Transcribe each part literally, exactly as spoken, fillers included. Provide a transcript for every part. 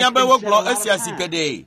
Menya That's be been wogblɔ said a lot esia of zi times. geɖe.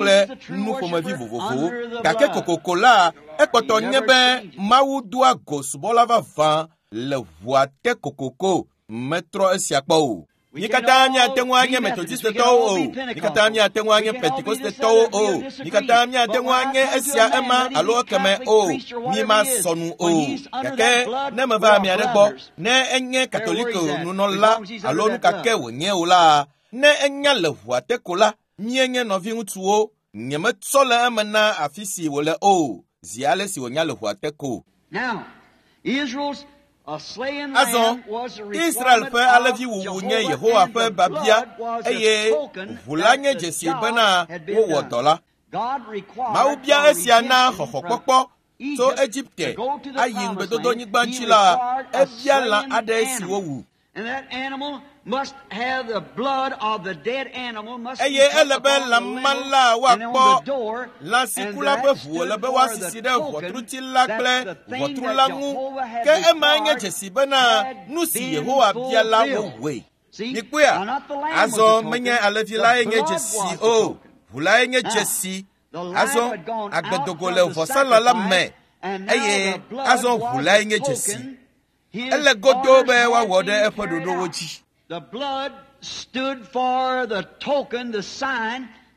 kple nuƒomevi vovovowo. Gake kokoko la, ekpɔtɔ nye be Mawu doa go subɔla vavã le ʋua te kokoko. Metrɔ esia kpɔ o. Mí katã míate ŋu anye Metodistetɔwo o. Mí katã míate ŋu anye Pentekostetɔwo o. Mí katã míate ŋu anye esia ema alo ekeme o. Mí masɔ nu o. Gake ne meva ame aɖe gbɔ, ne enye Katoliko nunɔla alo nu ka ke wònye o la, ne enya le ʋua te ko la, míenye nɔviŋutsuwo. Nyemetsɔ le eme na afi si wòle o, zi ale si wònya le ʋua te ko. Azɔ Israel ƒe alẽviwuwu nye Yehowa ƒe biabia eye ʋu la nye dzesi bena wowɔ dɔ la. Mawu bia esia na xɔxɔkpɔkpɔ tso Egipte ayi ŋugbedodonyigba dzi la, ebia lã aɖe si wowu. Eye ele be lã ma la woakpɔ lã si ku la ƒe ʋu wòle be woasisi ɖe ʋɔtruti la kple ʋɔtru la ŋu. Ke ema nye dzesi bena nu si Yehowa bia la wowɔe. Mikpɔea? Azɔ menye alẽvi lae nye dzesi o, ʋu lae nye dzesi. Azɔ agbedogo le vɔsalã la me eye azɔ ʋu lae nye dzesi. Ele godoo be woawɔ ɖe eƒe ɖoɖowo dzi.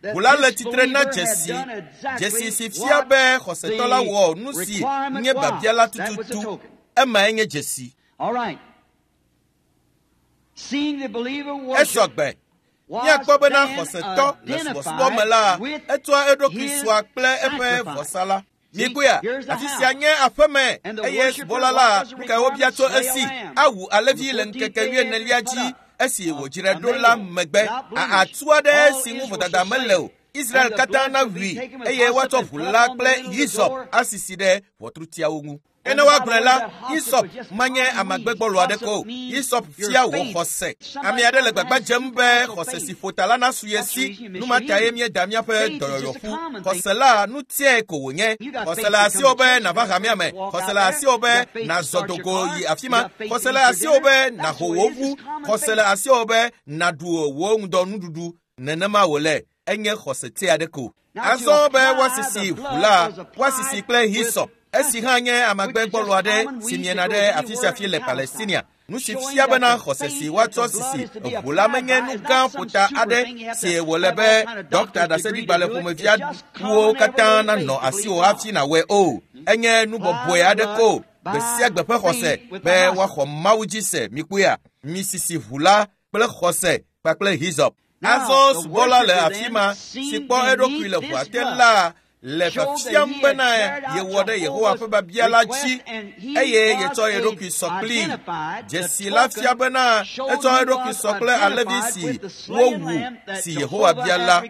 Ʋu la le tsitre na dzesi, dzesi si fia be xɔsetɔ la wɔ nu si nye biabia la tututu. Emae nye dzesi. Esɔ gbe. Míakpɔ bena xɔsetɔ le subɔsubɔ me la, etsɔa eɖokui sɔa kple eƒe vɔsa la. Mikpɔea, afi sia nye aƒeme eye subɔla la nu kae wobia tso esi awu alẽvi le ŋkeke wuienelia dzi esi wòdzrae ɖo la megbe. Atu aɖe si ŋu vodada mele o. Israel katã nawui eye woatsɔ ʋu la kple Hisɔp asisi ɖe ʋɔtrutiawo ŋu. Ke ne woagblɔe la, Hisɔp manye amagbegbɔlo aɖeke o. Hisɔp fia wò xɔse. Ame aɖe le gbagba dzem be xɔse si ƒo ta la nasu ye si. Nu ma tae míeda míaƒe dɔyɔyɔƒu. Xɔse la nu tiae ko wònye. Xɔse le asiwò be nàva hamea me. Xɔse le asiwò be nàzɔ dogo yi afi ma. Xɔse le asiwò be nàho wò ʋu. Xɔse le asiwò be nàɖu wò ŋudɔnuɖuɖu. Nenema wòle. Enye xɔse tia aɖe ko. Azɔ be woasisi ʋu la, woasisi kple hisɔp. Esi hã nye amagbegbɔlo aɖe si miena ɖe afi sia afi le Palestinia. Nu si fia bena xɔse si woatsɔ sisi ʋu la menye nu gã ƒota aɖe si wòle be dɔkta ɖaseɖigbalẽ ƒomevi aɖewo katã nanɔ asiwò hafi nàwɔe o. Enye nu bɔbɔe aɖe ko. Gbe sia gbe ƒe xɔse be woaxɔ Mawu dzi se. Mikpɔea, misisi ʋu la kple xɔse kpakple hisɔp. Azɔ subɔla le afi ma si kpɔ eɖokui le ʋua te la le fiafiam bena yewɔ ɖe Yehowa ƒe biabia la dzi eye yetsɔ ye ɖokui sɔ kplii. Dzesi la fia bena etsɔ eɖokui sɔ kple alẽvi si wowu si Yehowa bia la,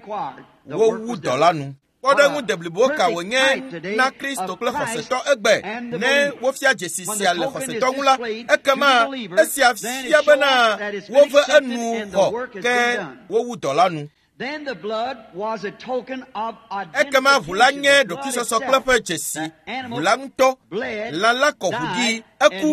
wowu dɔ la nu. Kpɔɖeŋu deblibo ka wònye na Kristo kple xɔsetɔ egbe. Ne wofia dzesi sia le xɔsetɔ ŋu la, ekema esia fia bena wove enu xɔ ke wowu dɔ la nu. Ekema ʋu la nye ɖokuisɔsɔ kple ƒe dzesi. Ʋu la ŋutɔ, lã la kɔ ʋu ɖi, eku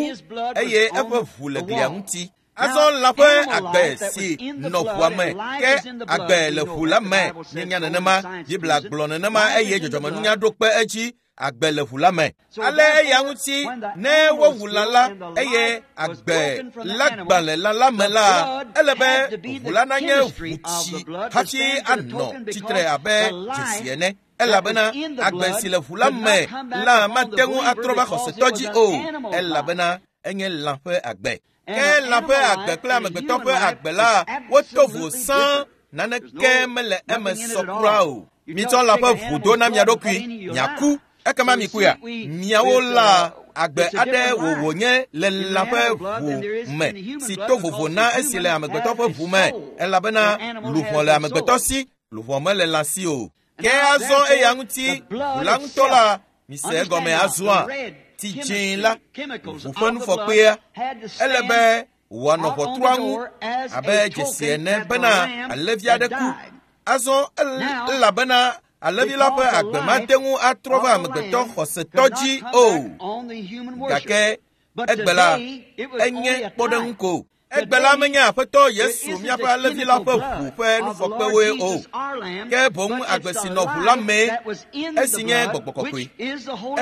eye eƒe ʋu le glia ŋuti. Azɔ lã ƒe agbe si nɔ ʋua me, ke agbe le ʋu la me. Míenya nenema, Biblia gblɔ nenema eye dzɔdzɔmenunya ɖo kpe edzi. Agbe le ʋu la me. Ale eya ŋuti ne wowu lã la eye agbe la gbã le lã la me la, ele be ʋu la nanye ʋutsi hafi anɔ tsitre abe dzesi ene. Elabena agbe si le ʋu la me la mate ŋu atrɔ va xɔsetɔ dzi o, elabena enye lã ƒe agbe. Ke lã ƒe agbe kple amegbetɔ ƒe agbe la woto vo sã, naneke mele eme sɔ kura o. Mitsɔ lã ƒe ʋu do na mia ɖokui, miaku. Ekema mikpɔea, miawo la agbe aɖe wòwò nye le lã ƒe ʋu me si to vovo na esi le amegbetɔ ƒe ʋu me, elabena luʋɔ le amegbetɔ si, luʋɔ mele lã si o. Ke azɔ eya ŋuti ʋu la ŋutɔ la, mise egɔme azɔa, tsi dzĩ la, ʋu ƒe nufɔkpea, ele be wòanɔ ʋɔtrua ŋu abe dzesi ene bena alẽvi aɖe ku. Azɔ elabena alẽvi la ƒe agbe mate ŋu atrɔ va amegbetɔ xɔsetɔ dzi o. Gake egbe la, enye kpɔɖeŋu ko. Egbe la menye Aƒetɔ Yesu míaƒe alẽvi la ƒe ʋu ƒe nufɔkpewoe o, ke boŋ agbe si nɔ ʋu la mee, esi nye Gbɔgbɔ Kɔkɔe.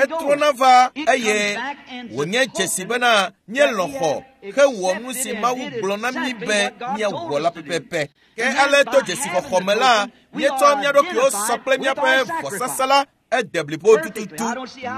Etrɔna va eye wònye dzesi bena míelɔ̃ xɔ hewɔ nu si Mawu gblɔ na mí be míawɔ la pɛpɛpɛ. Ke ale to dzesixɔxɔ me la, míetsɔ mía ɖokuiwo sɔ kple míaƒe vɔsasa la ede blibo tututu.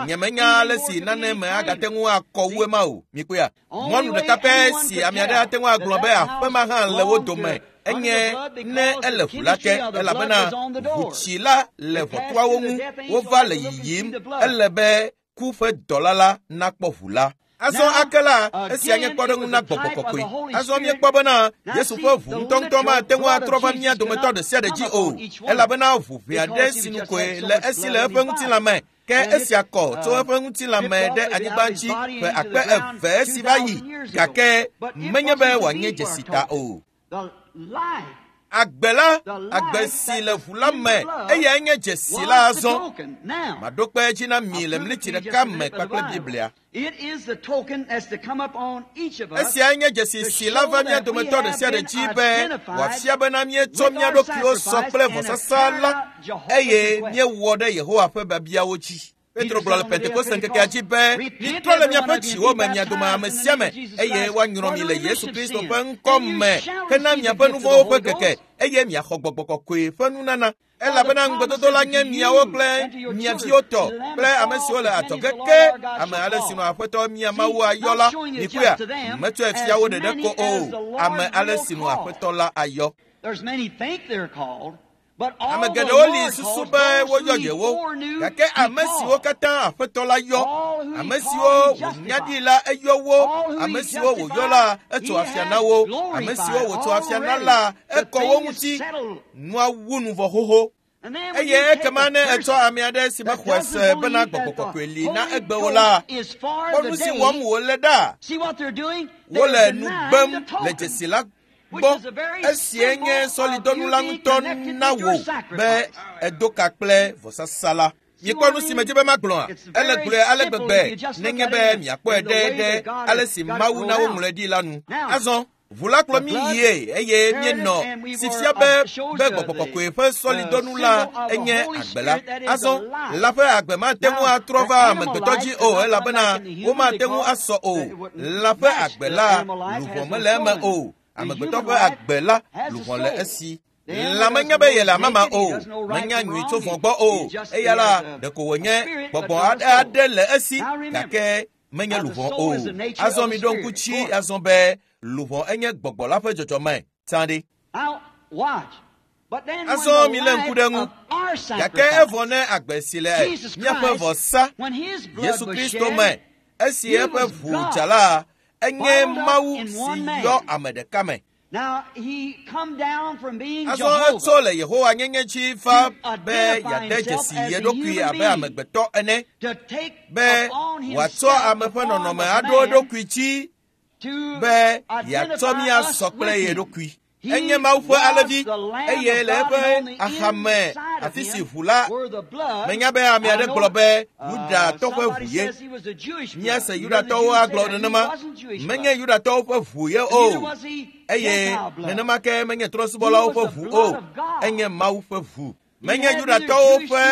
Nyemenya ale si nane me agate ŋu akɔ wu ema o. Mikpɔea, mɔnu ɖeka pɛ si ame aɖe ate ŋu agblɔ be aƒe ma hã le wo dome enye ne ele ʋu la te, elabena ʋutsi la le ʋɔtruawo ŋu. Wova le yiyim. Ele be ku ƒe dɔla la nakpɔ ʋu la. Azɔ ake la, esia nye kpɔɖeŋu na gbɔgbɔ kɔkɔe. Azɔ míekpɔ bena Yesu ƒe ʋu ŋutɔŋutɔ mate ŋu atrɔ va mía dometɔ ɖe sia ɖe dzi o, elabena ʋu ʋɛ aɖe sinu koe le esi le eƒe ŋutilã me. Ke esia kɔ tso eƒe ŋutilã me ɖe anyigba dzi ƒe akpe eve esi va yi, gake menye be wòanye dzesi ta o. Agbe la, agbe si le ʋu la me, eyae nye dzesi la azɔ. Maɖo kpe edzi na mi le mliti ɖeka me kpakple Biblia. Esiae nye dzesi si la va mía dometɔ ɖe sia ɖe dzi be wòafia bena míetsɔ mía ɖokuiwo sɔ kple vɔsasa la eye míewɔ ɖe Yehowa ƒe biabiawo dzi. Petro gblɔ le Pentekoste ŋkekea dzi be, mitrɔ le miaƒe dziwo me mia dome ame sia ame eye woanyrɔ mi le Yesu Kristo ƒe ŋkɔ me hena miaƒe nu vɔ̃wo ƒe keke eye miaxɔ gbɔgbɔ kɔkɔe ƒe nunana. Elabena ŋugbedodo la nye miawo kple mia viwo tɔ kple ame siwo le adzɔge ke ame ale si nɔ Aƒetɔ mia Mawu ayɔ la. Mikuya, metsɔe fia wo ɖeɖe ko o, ame ale si nɔ Aƒetɔ la ayɔ. Ame geɖewo li susu be woyɔ yewo, gake ame siwo katã Aƒetɔ la yɔ, ame siwo wònya ɖi la eyɔ wo, ame siwo wòyɔ la etso afia na wo, ame siwo wòtso afia na la ekɔ wo ŋuti. Nua wu nu vɔ xoxo. Eye ekema ne etsɔ ame aɖe si mexɔe se bena gbɔgbɔ kɔkɔe li na egbewo la, kpɔ nu si wɔm wòle ɖa. Wole nu gbem le dzesi la gbɔ. Esie nye sɔlidɔnu la ŋutɔ na wò be edo ka kple vɔsasa la. Miekpɔ nu si medzi be magblɔa? Ele gblɔe ale gbegbe nenye be miakpɔe ɖe ɖe ale si Mawu na woŋlɔe ɖi la nu. Azɔ ʋu la kplɔ mí yie eye míenɔ si fia be be gbɔgbɔ kɔkɔe ƒe sɔlidɔnu la enye agbe la. Azɔ la ƒe agbe mate ŋu atrɔ va amegbetɔ dzi o, elabena womate ŋu asɔ o. La ƒe agbe la luʋɔ mele eme o. Amegbetɔ ƒe agbe la luʋɔ le esi. La menya be yele amama o, menya nyui tso vɔ̃ gbɔ o. Eya la ɖeko wònye gbɔgbɔ aɖe aɖe le esi, gake menye luʋɔ o. Azɔ mi ɖo ŋku tsi azɔ be luʋɔ enye gbɔgbɔ la ƒe dzɔdzɔme. Tsã ɖi. Azɔ mi lé ŋku ɖe ŋu. Gake evɔ ne agbe si le míaƒe vɔsa Yesu Kristo me, esi eƒe ʋu dza la, enye Mawu si yɔ ame ɖeka me. Azɔ etso le Yehowa nyenye dzi va be yeade dzesi ye ɖokui abe amegbetɔ ene, be wòatsɔ ame ƒe nɔnɔme aɖo eɖokui dzi, be yeatsɔ mía sɔ kple ye ɖokui. Enye Mawu ƒe alẽvi eye le eƒe axame afi si ʋu la, menya be ame aɖe gblɔ be Yudatɔ ƒe ʋu ye. Míase Yudatɔwo agblɔ nenema. Menye Yudatɔwo ƒe ʋu ye o, eye nenema ke menye trɔ̃subɔlawo ƒe ʋu o. Enye Mawu ƒe ʋu. Menye Yudatɔwo ƒe,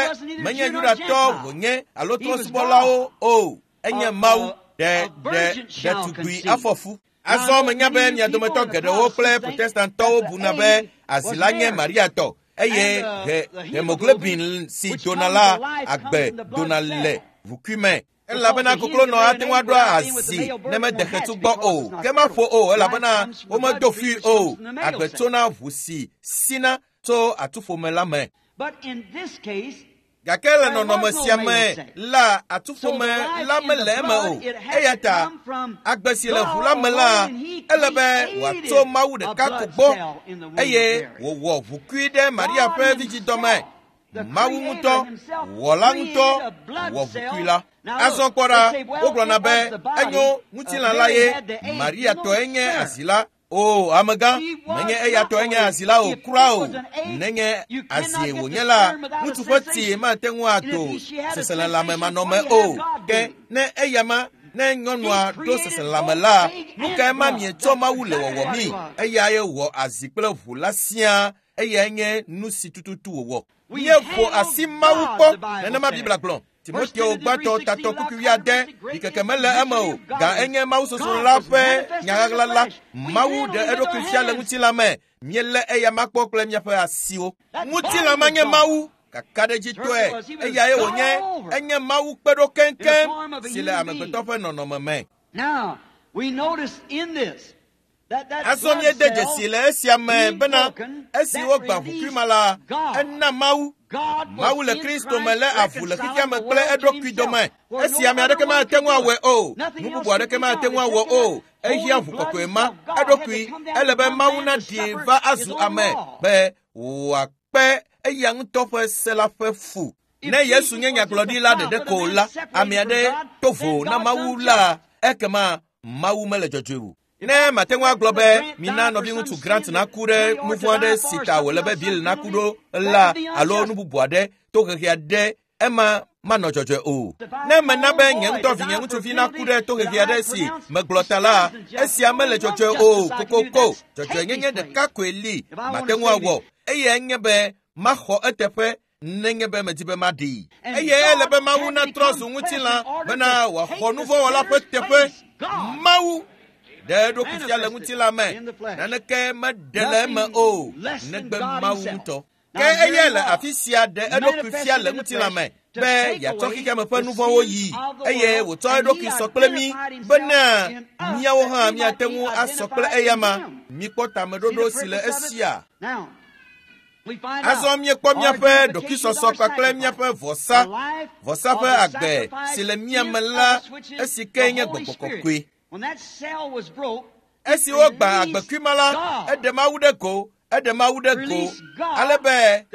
menye Yudatɔ wònye alo trɔ̃subɔlawo o. Enye Mawu ɖe ɖe ɖetugbui afɔfu. Azɔ menya be mia dometɔ geɖewo kple Protestantɔwo buna be azi la nye Maria tɔ eye he hemoglobin si dona la agbe dona le ʋukui me. Elabena koklonɔ ate ŋu aɖo azi ne mede xetu gbɔ o, ke maƒo o, elabena womedo fui o. Agbe tsona ʋu si sina tso atuƒome la me. Gake le nɔnɔme sia me la, atuƒome la mele eme o. Eya ta agbe si le ʋu la me la, ele be wòatso Mawu ɖeka ko gbɔ eye wòwɔ ʋukui ɖe Maria ƒe vidzidɔme. Mawu ŋutɔ, wɔla ŋutɔ, wɔ ʋukui la. Azɔ kpɔ ɖa, wogblɔna be enyo ŋutilã la ye, Maria tɔe nye azi la. O, amegã, menye eya tɔe nye azi la o, kura o. Nenye azie wònye la, ŋutsu ƒe tsi mate ŋu ado seselelãme manɔme o. Ke ne eya ma, ne nyɔnua ɖo seselelãme la, nu kae ma mietsɔ Mawu le wɔwɔ mi? Eyae wɔ azi kple ʋu la siaa. Eyae nye nu si tututu wòwɔ. Míeƒo asi Mawu kpɔ, nenema Biblia gblɔ. Timoteo gbãtɔ tatɔ kukui wuiade, ɖikeke mele eme o, ga enye Mawu sosro la ƒe nyaɣaɣla la. Mawu ɖe eɖokui fia le ŋutilã me. Míelé eya ma kpɔ kple míaƒe asiwo. Ŋutilã ma nye Mawu, kakaɖedzitɔe, eyae wònye, enye Mawu kpe ɖo keŋkeŋ si le amegbetɔ ƒe nɔnɔme me. Now, we notice in this Azɔ míede dzesi le esia me bena esi wogbã ʋukui ma la, ena Mawu. Mawu le Kristo me lé avu le xexea me kple eɖokui dome. Esi ame aɖeke mate ŋu awɔe o, nu bubu aɖeke mate ŋu awɔ o, ehiã ʋu kɔkɔe ma eɖokui. Ele be Mawu naɖi va azu ame be wòakpe eya ŋutɔ ƒe se la ƒe fu. Ne Yesu nye nyagblɔɖila ɖeɖe ko la, ame aɖe to vo na Mawu la, ekema Mawu mele dzɔdzɔe o. Ne mate ŋu agblɔ be mina nɔviŋutsu Grant naku ɖe nu vɔ̃ aɖe si ta wòle be Bill naku ɖo la alo nu bubu aɖe to xexe aɖe, ema manɔ dzɔdzɔe o. Ne mena be nye ŋutɔ vinye ŋutsuvi naku ɖe to xexe aɖe si megblɔ ta la, esia mele dzɔdzɔe o kokoko. Dzɔdzɔenyenye ɖeka koe li mate ŋu awɔ, eye nye be maxɔ eteƒe nenye be medi be maɖee. Eye ele be Mawu natrɔ zu ŋutilã bena wòaxɔ nuvɔ̃wɔla ƒe teƒe. Mawu ɖe eɖokui fia le ŋutilã me, naneke meɖe le eme o, negbe Mawu ŋutɔ. Ke eyae le afi sia ɖe eɖokui fia le ŋutilã me be yeatsɔ xexeame ƒe nu vɔ̃wo yi, eye wòtsɔ eɖokui sɔ kple mí bena míawo hã míate ŋu asɔ kple eyama. Míkpɔ tameɖoɖo si le esia. Azɔ míekpɔ míaƒe ɖokuisɔsɔ kpakple míaƒe vɔsa, vɔsa ƒe agbe si le mía me la, esi ke nye gbɔgbɔ kɔkɔe. Esi wogbã agbekui ma la, eɖe Mawu ɖe go, eɖe Mawu ɖe go, ale be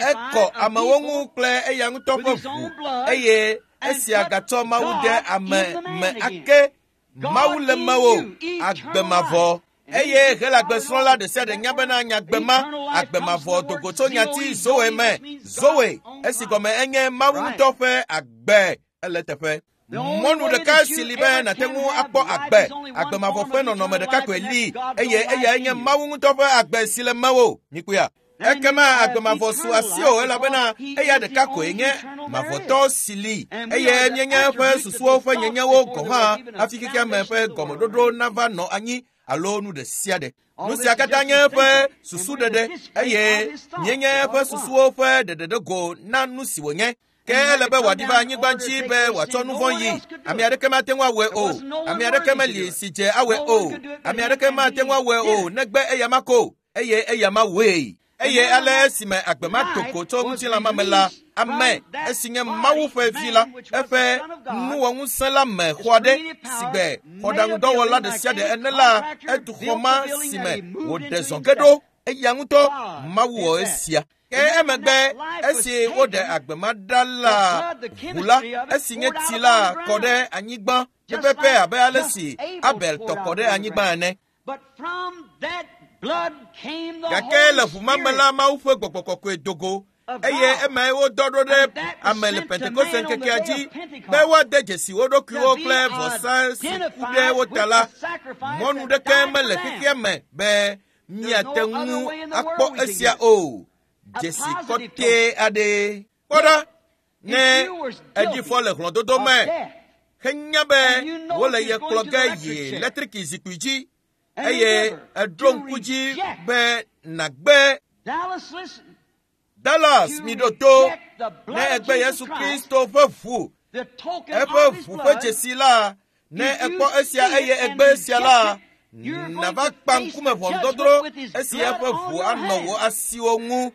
ekɔ amewo ŋu kple eya ŋutɔ ƒe ʋu, eye esia gatsɔ Mawu ɖe ame me ake. Mawu le mewò, agbe mavɔ. Eye Helagbesrɔ̃la ɖe sia ɖe nya bena nyagbe ma, agbe mavɔ dogo tso nyati Zoe me. Zoe, esi gɔme enye Mawu ŋutɔ ƒe agbe, ele teƒe. Mɔnu ɖeka si li be nàte ŋu akpɔ agbe, agbe mavɔ ƒe nɔnɔme ɖeka koe li, eye eyae nye Mawu ŋutɔ ƒe agbe si le mewò. Mikpɔea? Ekema agbe mavɔ su asiwò elabena eya ɖeka koe nye mavɔtɔ si li, eye míenye eƒe susuwo ƒe nyenyewo gɔ̃ hã hafi xexeame ƒe gɔmeɖoɖo nava nɔ anyi alo nu ɖe sia ɖe. Nu sia katã nye eƒe susuɖeɖe, eye míenye eƒe susuwo ƒe ɖeɖeɖego na nu si wònye. Ke ele be wòaɖi va anyigba dzi be wòatsɔ nu vɔ̃ yi. Ame aɖeke mate ŋu awɔe o. Ame aɖeke meli si dze awɔe o. Ame aɖeke mate ŋu awɔe o negbe eyama ko, eye eyama wɔe. Eye ale esime agbe ma do go tso ŋutilã ma me la, ame esi nye Mawu ƒe vi la, eƒe nuwɔŋusẽ la me xɔ aɖe si gbe xɔɖaŋudɔwɔla ɖe sia ɖe ene la, etu xɔ ma si me wòɖe zɔ ge ɖo. Eya ŋutɔ Mawu wɔ esia. Ke emegbe esi woɖe agbe ma ɖa la, ʋu la, esi nye tsi la kɔ ɖe anyigba pɛpɛpɛ abe ale si Abel tɔ kɔ ɖe anyigba ene. Gake le ʋu ma me la, Mawu ƒe gbɔgbɔ kɔkɔe do go, eye emae wodɔ ɖo ɖe ame le Pentekoste ŋkekea dzi be woade dzesi wo ɖokuiwo kple vɔsa si ku ɖe wo ta la. Mɔnu ɖeke mele xexea me be míate ŋu akpɔ esia o. Dzesi kɔtɛ aɖe. Kpɔ ɖa, ne eɖi fɔ le hlɔ̃dodo me, henya be wole ye kplɔ ge yi eletriki zikpui dzi, eye eɖo ŋku dzi be nàgbe Dallas, mi ɖo to, ne egbe Yesu Kristo ƒe ʋu, eƒe ʋu ƒe dzesi la, ne ekpɔ esia eye egbe esia la, nàva kpa ŋkume ʋɔnudɔdrɔ̃ esi eƒe ʋu anɔ wò asiwo ŋu.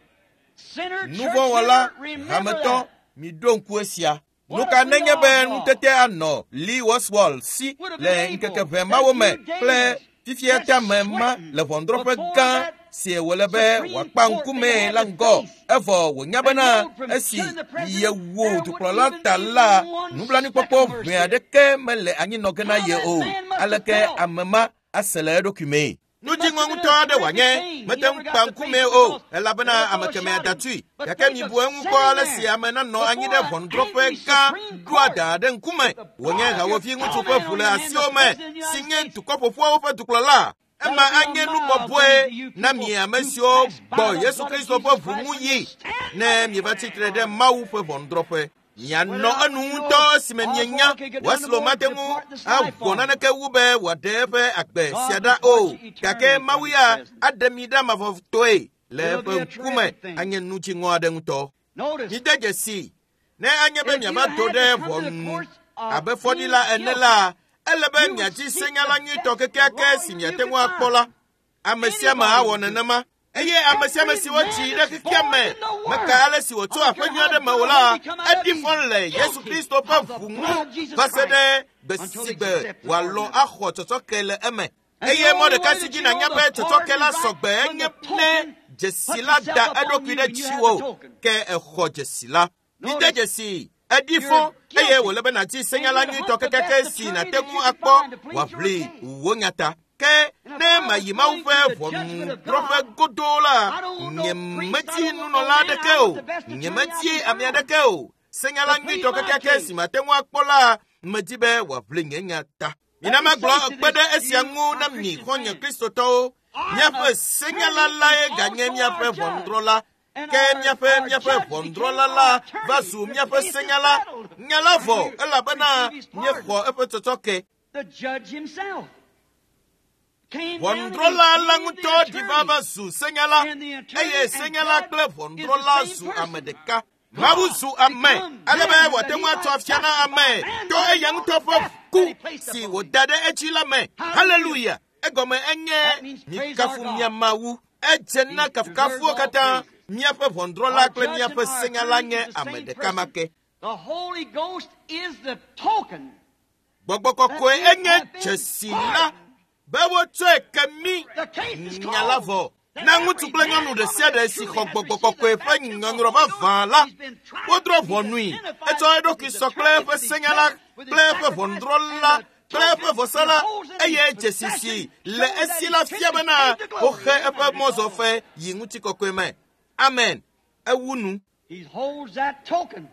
Nuvɔ̃wɔla, hametɔ, miɖo ŋku esia. Nu ka nenye be nutete anɔ Lee Oswald si le ŋkeke ʋɛ mawo me kple fifia tame ma le ʋɔnudrɔ̃ƒe gã si wòle be wòakpa ŋkumee la ŋgɔ, evɔ wònya bena esi yewu dukplɔla ta la, nublanuikpɔkpɔ ʋɛ aɖeke mele anyinɔ ge na ye o. Aleke ame ma ase le eɖokui mee? Nudziŋɔ ŋutɔ aɖe wòanye, mete ŋu kpa ŋkumee o, elabena ame kemɛa da tui. Gake mibu eŋu kpɔ ale si ame nanɔ anyi ɖe ʋɔnudrɔ̃ƒe gã ɖoa da ɖe ŋkume, wònye hawòvi ŋutsu ƒe ʋu le asiwò me, si nye dukɔ ƒoƒuawo ƒe dukplɔla. Ema anye nu bɔbɔe na mi ame siwo gbɔ Yesu Kristo ƒe ʋu ŋu yi, ne mieva tsitre ɖe Mawu ƒe ʋɔnudrɔ̃ƒe. Mianɔ enu ŋutɔ esime mienya Wesley mate ŋu awɔ naneke wu be wòaɖe eƒe agbe sia ɖa o, gake Mawu ya aɖe mi ɖa mavɔtɔe le eƒe ŋkume anye nu dziŋɔ aɖe ŋutɔ. Mide dzesi, ne anye be miava do ɖe ʋɔnu abe fɔɖila ene la, Ele be miadi senyala nyuitɔ kekeake si miate ŋu akpɔ la. Ame sia ame awɔ nenema. Eye ame sia ame si wotsi ɖe xexea me meka ale si wòtso aƒe nyui aɖe me o la, eɖi fɔ le Yesu Kristo ƒe ʋu ŋu va se ɖe gbe si gbe wòalɔ̃ axɔ tsɔtsɔke le eme. Eye mɔ ɖeka si dzi nànya be tsɔtsɔke la sɔgbe enye ne dzesi la da eɖokui ɖe dziwò ke exɔ dzesi la. Mide dzesi eɖi fɔ eye wòle be nàdi senyala nyuitɔ kekeake si nàte ŋu akpɔ wòaʋli wò nya ta. Ke ne mayi Mawu ƒe ʋɔnudrɔ̃ƒe godoo la, nyemedi nunɔla aɖeke o, nyemedi ame aɖeke o. Senyala nyuitɔ kekeake si mate ŋu akpɔ la, medi be wòaʋli nye nya ta. Mina magblɔ kpe ɖe esia ŋu na mi xɔ̃nye Kristotɔwo. Míaƒe senyala lae ganye míaƒe ʋɔnudrɔ̃la. Ke míaƒe míaƒe ʋɔnudrɔ̃la la va zu míaƒe senyala. Nya la vɔ elabena míexɔ eƒe tsɔtsɔke. The judge himself came down and Ʋɔnudrɔ̃la la became ŋutɔ the ɖi va attorney. va zu senyala eye senyala kple ʋɔnudrɔ̃la zu ame ɖeka. Mawu zu ame ale be wòate ŋu atso afia na ame to eya ŋutɔ ƒe ku si wòda ɖe edzi la me. Haleluya! Egɔme enye mikafu mia Mawu. Edze na kafukafuwo katã. Míaƒe ʋɔnudrɔ̃la kple Our judge míaƒe and our senyala attorney nye is the ame same ɖeka ma person. ke. The Holy Ghost is the token Gbɔgbɔ kɔkɔe enye dzesi la be wotsɔe ke mí The case is nya la closed. vɔ. Na ŋutsu kple nyɔnu ɖe sia ɖe si xɔ gbɔgbɔ kɔkɔe ƒe nyɔnyrɔ vavã la, wodrɔ̃ ʋɔnui. Etsɔ eɖokui sɔ kple eƒe senyala kple eƒe ʋɔnudrɔ̃la kple eƒe vɔsala eye dzesi si le esi la fia bena woxe eƒe mɔzɔfe yi ŋutikɔkɔe me. Amen. Ewu nu. He holds that token.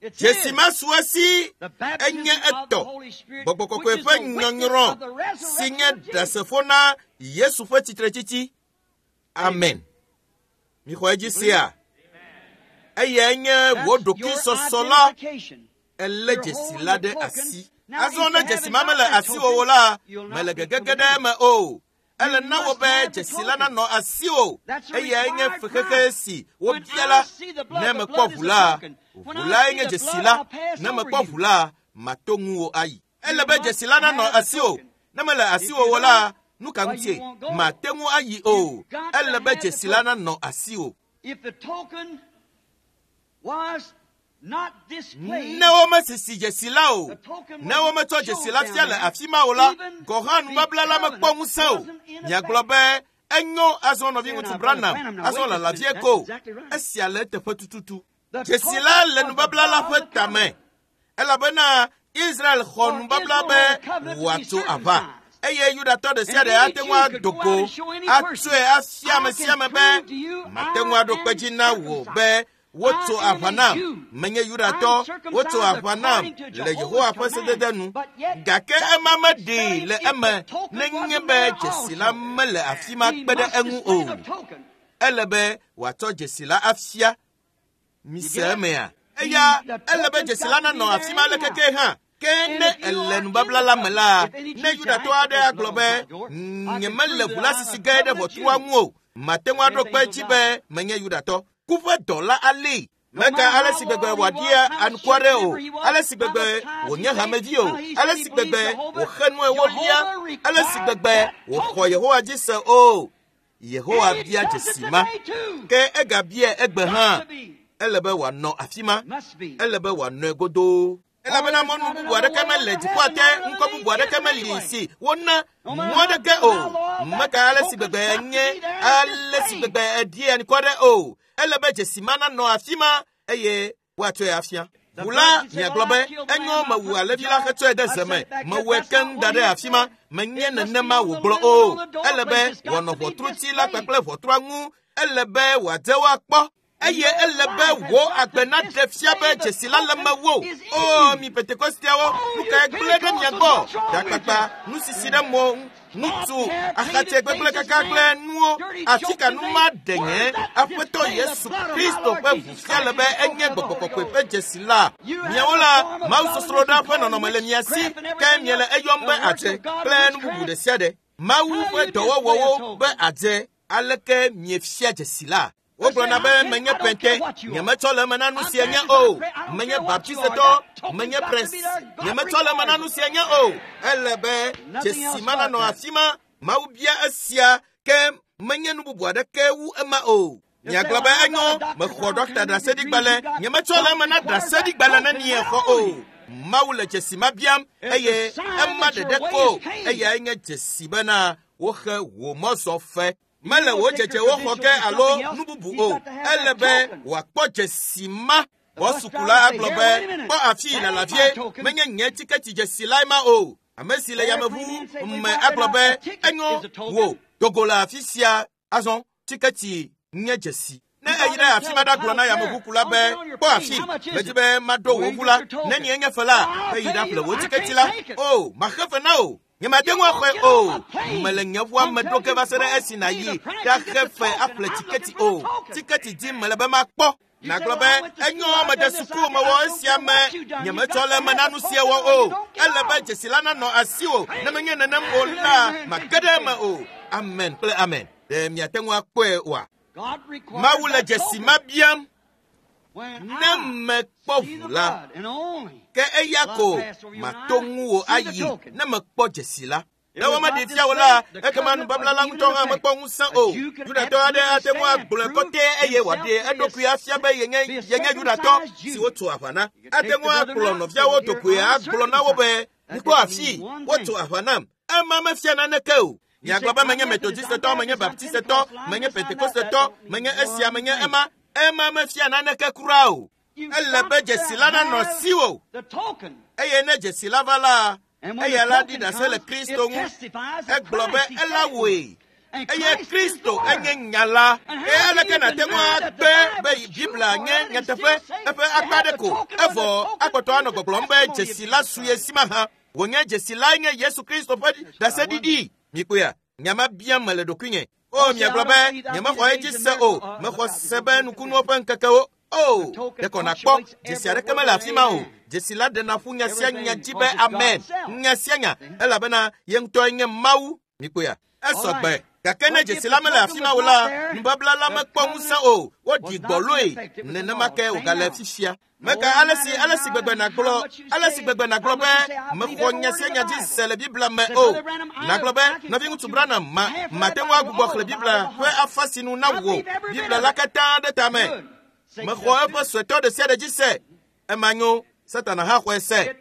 It's Dzesi his. ma su esi The baptism enye of the etɔ. Holy Spirit, Gbɔgbɔ kɔkɔe which is ƒe the witness nyɔnyrɔ of the si resurrection nye of Jesus. ɖasefo na Yesu ƒe tsitretsitsi. Amen. Mixɔ edzi sia. Eyae nye wò That's your ɖokuisɔsɔ la identification. elé You're dzesi holding la the ɖe token. asi. Now, Azɔ if ne you dzesi haven't ma got mele that asiwò token, o la, you'll not mele be gegege committed. ɖe eme o. Ele You na wò must be have the dzesi la token. nanɔ asiwò. That's a Eyae nye required fexexe price. si When wobia I la. see the blood, Ne the mekpɔ blood ʋu is the la, token. When ʋu I lae see nye the dzesi blood, la. I'll pass Ne over mekpɔ you. ʋu la, mato ŋuwò ayi. Ele You be must dzesi la nanɔ have the asiwò. token. Ne mele If asiwò you o la, don't, nu ka well, ŋutie? you won't go. Mate ŋu ayi o. You've got to Ele be have the dzesi la token. nanɔ asiwò. If the token was not displayed, Ne womesisi dzesi la o, the token ne wasn't wometsɔ dzesi shown la down fia le there, afi ma o la, even gɔ̃ hã the nubabla la mekpɔ covenant ŋusẽ o. wasn't in Miagblɔ effect. be enyo azɔ Say nɔviŋutsu now, Brother Branham, Branham, now azɔ wait just a lala minute. vie That's ko. exactly right. Esia le eteƒe tututu. The Dzesi token la le was the nubabla la blood ƒe of the tame covenant. elabena Israel xɔ For nubabla Israel be had a covenant to be wòatso aʋa. circumcised. Eye Yudatɔ ɖe sia And ɖe any ate ŋu Jew could ado go go out and show any person, atsɔe afia I ame sia can ame be prove to you mate ŋu I aɖo kpe am dzi na wò circumcised. be wotso I am aʋa a nam. Jew. Menye I'm Yudatɔ, wotso circumcised aʋa nam according to le Yehowa Jehovah's ƒe sedede command. nu. But yet, Gake that ema meɖee displayed le if the eme token nenye wasn't be there dzesi la also. mele afi ma He kpe ɖe must eŋu display o. the token. Ele be wòatsɔ dzesi la afia. You Mise get it? emea? He, Eya the ele be token's dzesi la got to be nanɔ there afi ma anyhow. lekeke hã. Ke And ne if you ele are in nubabla the la me la, covenant, if any ne Jew say, I Yudatɔ ain't put aɖe this agblɔ blood on be my door, I can nyemele prove ʋu that la I'm sisi a ge ɖe covenant ʋɔtrua Jew. ŋu o, mate ŋu aɖo Then kpe things will edzi die. be menye Yudatɔ. Ku ƒe dɔla alée. No Meka matter ale how si gbegbe loyal he wòaɖia was, how anukware church o, member he was, ale si how gbegbe much tithes he wònye paid, hamevi o, how he ale said he si believed gbegbe Jehovah, wòxe nu ewolia, Jehovah ale si required gbegbe that wòxɔ token. Yehowa dzi se o. Yehowa And he bia does it dzesi ma. today too. Ke egabia egbe Got hã. to be. Ele be wòanɔ afi ma. Must be. Ele be wòanɔe godoo. For Elabena there's mɔnu not bubu another aɖeke way mele over dziƒoa heaven, te, not another ŋkɔ name bubu aɖeke given meli anyway. si wona No mɔ matter how aɖeke good, o. how loyal, that Meka ale si token's gbegbe got to enye, be there and ale si displayed. gbegbe eɖi anukware o. Ele be dzesi ma nanɔ afi ma eye woatsɔe afia. The Ʋu la blood, you say, miagblɔ well, I be killed the enyo lamb, I mewu put the alẽvi la jar, hetsɔe ɖe I ze set me. it back there. Mewɔe That's keŋ not da what ɖe he afi ma. said. Menye It must be nenema on the wògblɔ lintel o. on the Ele be doorpost. It's got wòanɔ to be ʋɔtruti la displayed. kpakple ʋɔtrua ŋu. Ele be wòadze woakpɔ. And Eye your ele be life has wò got to agbe naɖe fia be display the dzesi la le token mewò. is in O you. mi Pentekosteawo, Oh, nu you kae gblẽ ɖe mia Pentecostals, gbɔ? what's wrong with Ɖakpakpa, you? nusisi ɖe mo ŋu, ŋutsu, Sloth hair, axatse cleated gbegblẽ faces, kaka kple man, nuwo, dirty atika joking nu things. ma ɖe nye Where's that Aƒetɔ display the Yesu blood of my Kristo Lord ƒe ʋu Jesus fia le Christ be and the enye token of the gbɔgbɔ Holy kɔkɔe Ghost? ƒe dzesi la. You have Miawo the la, form of Mawu godliness sɔsrɔ̃ɖa and ƒe call nɔnɔme le mia si witchcraft and ke everything miele else, eyɔm the be works adze of God kple and nu bubu witchcraft. ɖe sia ɖe. Mawu How ƒe you display a dɔwɔwɔwo be token? adze aleke miefia dzesi la? Wogblɔna be menye pente, nyemetsɔ le eme na nu sia nye o. Menye baptisetɔ, menye pres, nyemetsɔ le eme na nu sia nye o. Ele be dzesi ma nanɔ afi ma. Mawu bia esia ke menye nu bubu aɖeke wu ema o. Miagblɔ be enyo, mexɔ ɖɔkta ɖaseɖigbalẽ, nyemetsɔ le eme na ɖaseɖigbalẽ ne miexɔ o. Mawu le dzesi ma biam eye ema ɖeɖe ko eyae nye dzesi bena woxe wò mɔzɔ fe. Mele wò dzedzewo xɔ ge alo nu bubu o. Ele be wòakpɔ dzesi ma. Bɔsukula agblɔ be kpɔ afi lalavie, menye nye tiketi dzesi lae ma o. Ame si le yameʋu me agblɔ be enyo wò dogo le afi sia azɔ tiketi nye dzesi. Ne eyi ɖe afi ma ɖagblɔ na yameʋukula be kpɔ afi, medi be maɖo wò ʋu la, ne nye nye fe la, eyi ɖaƒle wò tiketi la. O, maxe fe na o. Nyemate ŋu axɔe o. Mele nye ʋua me ɖo ge va se ɖe esi nàyi ɖaxe fe aƒle tiketi o. Tiketi dim mele be makpɔ. Nàgblɔ be enyo mede suku mewɔ esia me, nyemetsɔ le eme na nu sia wɔ o. Ele be dzesi la nanɔ asiwò, ne menye nenem o la, mage ɖe eme o. Amen kple amen. Ɖe miate ŋu akpɔe oa? Mawu le dzesi ma biam. Ne mekpɔ ʋu la, ke eya ko mato ŋuwò ayi ne mekpɔ dzesi la. Ne womeɖi fia wò la, ekema nubabla la ŋutɔ hã mekpɔ ŋusẽ o. Yudatɔ aɖe ate ŋu agblɔe kɔtɛ eye wòaɖe eɖokui afia be yenye yenye Yudatɔ si wotso aʋa na. Ate ŋu akplɔ nɔviawo dogoe agblɔ na wo be mikpɔ afi wotso aʋa nam. Ema mefia naneke o. Miagblɔ be menye Metodistetɔ, menye Baptistetɔ, menye Pentekostetɔ, menye esia, menye ema. Ema mefia naneke kura o. Ele be dzesi la nanɔ asiwò. Eye ne dzesi la va la, eya la ɖi ɖase le Kristo ŋu. Egblɔ be ela wɔe. Eye Kristo enye nya la. Eye aleke nàte ŋu agbe be Biblia nye nyateƒe eƒe akpa aɖe ko evɔ akpɔtɔ anɔ gbɔgblɔm be dzesi la su ye si mahã. Wònye dzesi lae nye Yesu Kristo ƒe ɖaseɖiɖi. Mikpɔea, nya ma biam mele ɖokuinye. O, miagblɔ be nyemexɔ edzi se o. Mexɔ se be nukunuwo ƒe ŋkekewo. O, ɖeko nàkpɔ dzesi aɖeke mele afi ma o. Dzesi la ɖena ƒu nya sia nya dzi be amen. Nya sia nya elabena ye ŋutɔe nye Mawu. Mikpɔea, esɔ gbe. Gake ne dzesi la mele afi ma o la, nubabla la mekpɔ ŋusẽ o. Woɖi gbɔloe. Nenema ke wògale fifia. Meka ale si ale si gbegbe nàgblɔ ale si gbegbe nàgblɔ be mexɔ nya sia nya dzi se le Biblia me o. Nàgblɔ be nɔviŋutsu Branham ma mate ŋu agbugbɔ xlẽ Biblia ƒe afa si nu na wò Biblia la katã ɖe tame. Mexɔ eƒe suetɔ ɖe sia ɖe dzi se. Ema nyo, Satana hã xɔe se.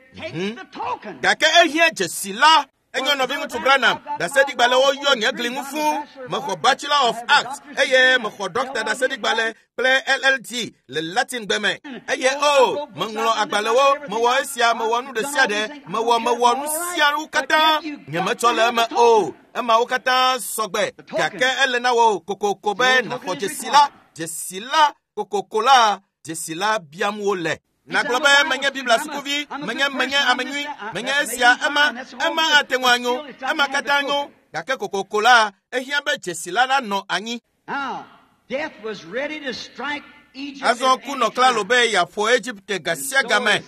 Gake ehiã dzesi la. Enyo nɔviŋutsu Branham, ɖaseɖigbalẽwo yɔ nye gli ŋu fũu. Mexɔ Bachelor of Arts eye mexɔ Dɔkta ɖaseɖigbalẽ kple L L D le Latin gbe me. Eye o, meŋlɔ agbalẽwo, mewɔ esia, mewɔ nu ɖe sia ɖe, mewɔ mewɔ nu siawo katã. Nyemetsɔ le eme o. Emawo katã sɔgbe. Gake ele na wò kokoko be nàxɔ dzesi la. Dzesi la kokoko la, dzesi la biam wole. Nàgblɔ be menye Biblia sukuvi, menye menye ame nyui, menye esia, ema, ema ate ŋu anyo, ema katã nyo. Gake kokoko la, ehiã be dzesi la nanɔ anyi. Azɔ ku nɔ klalo be yeaƒo Egipte ga sia ga me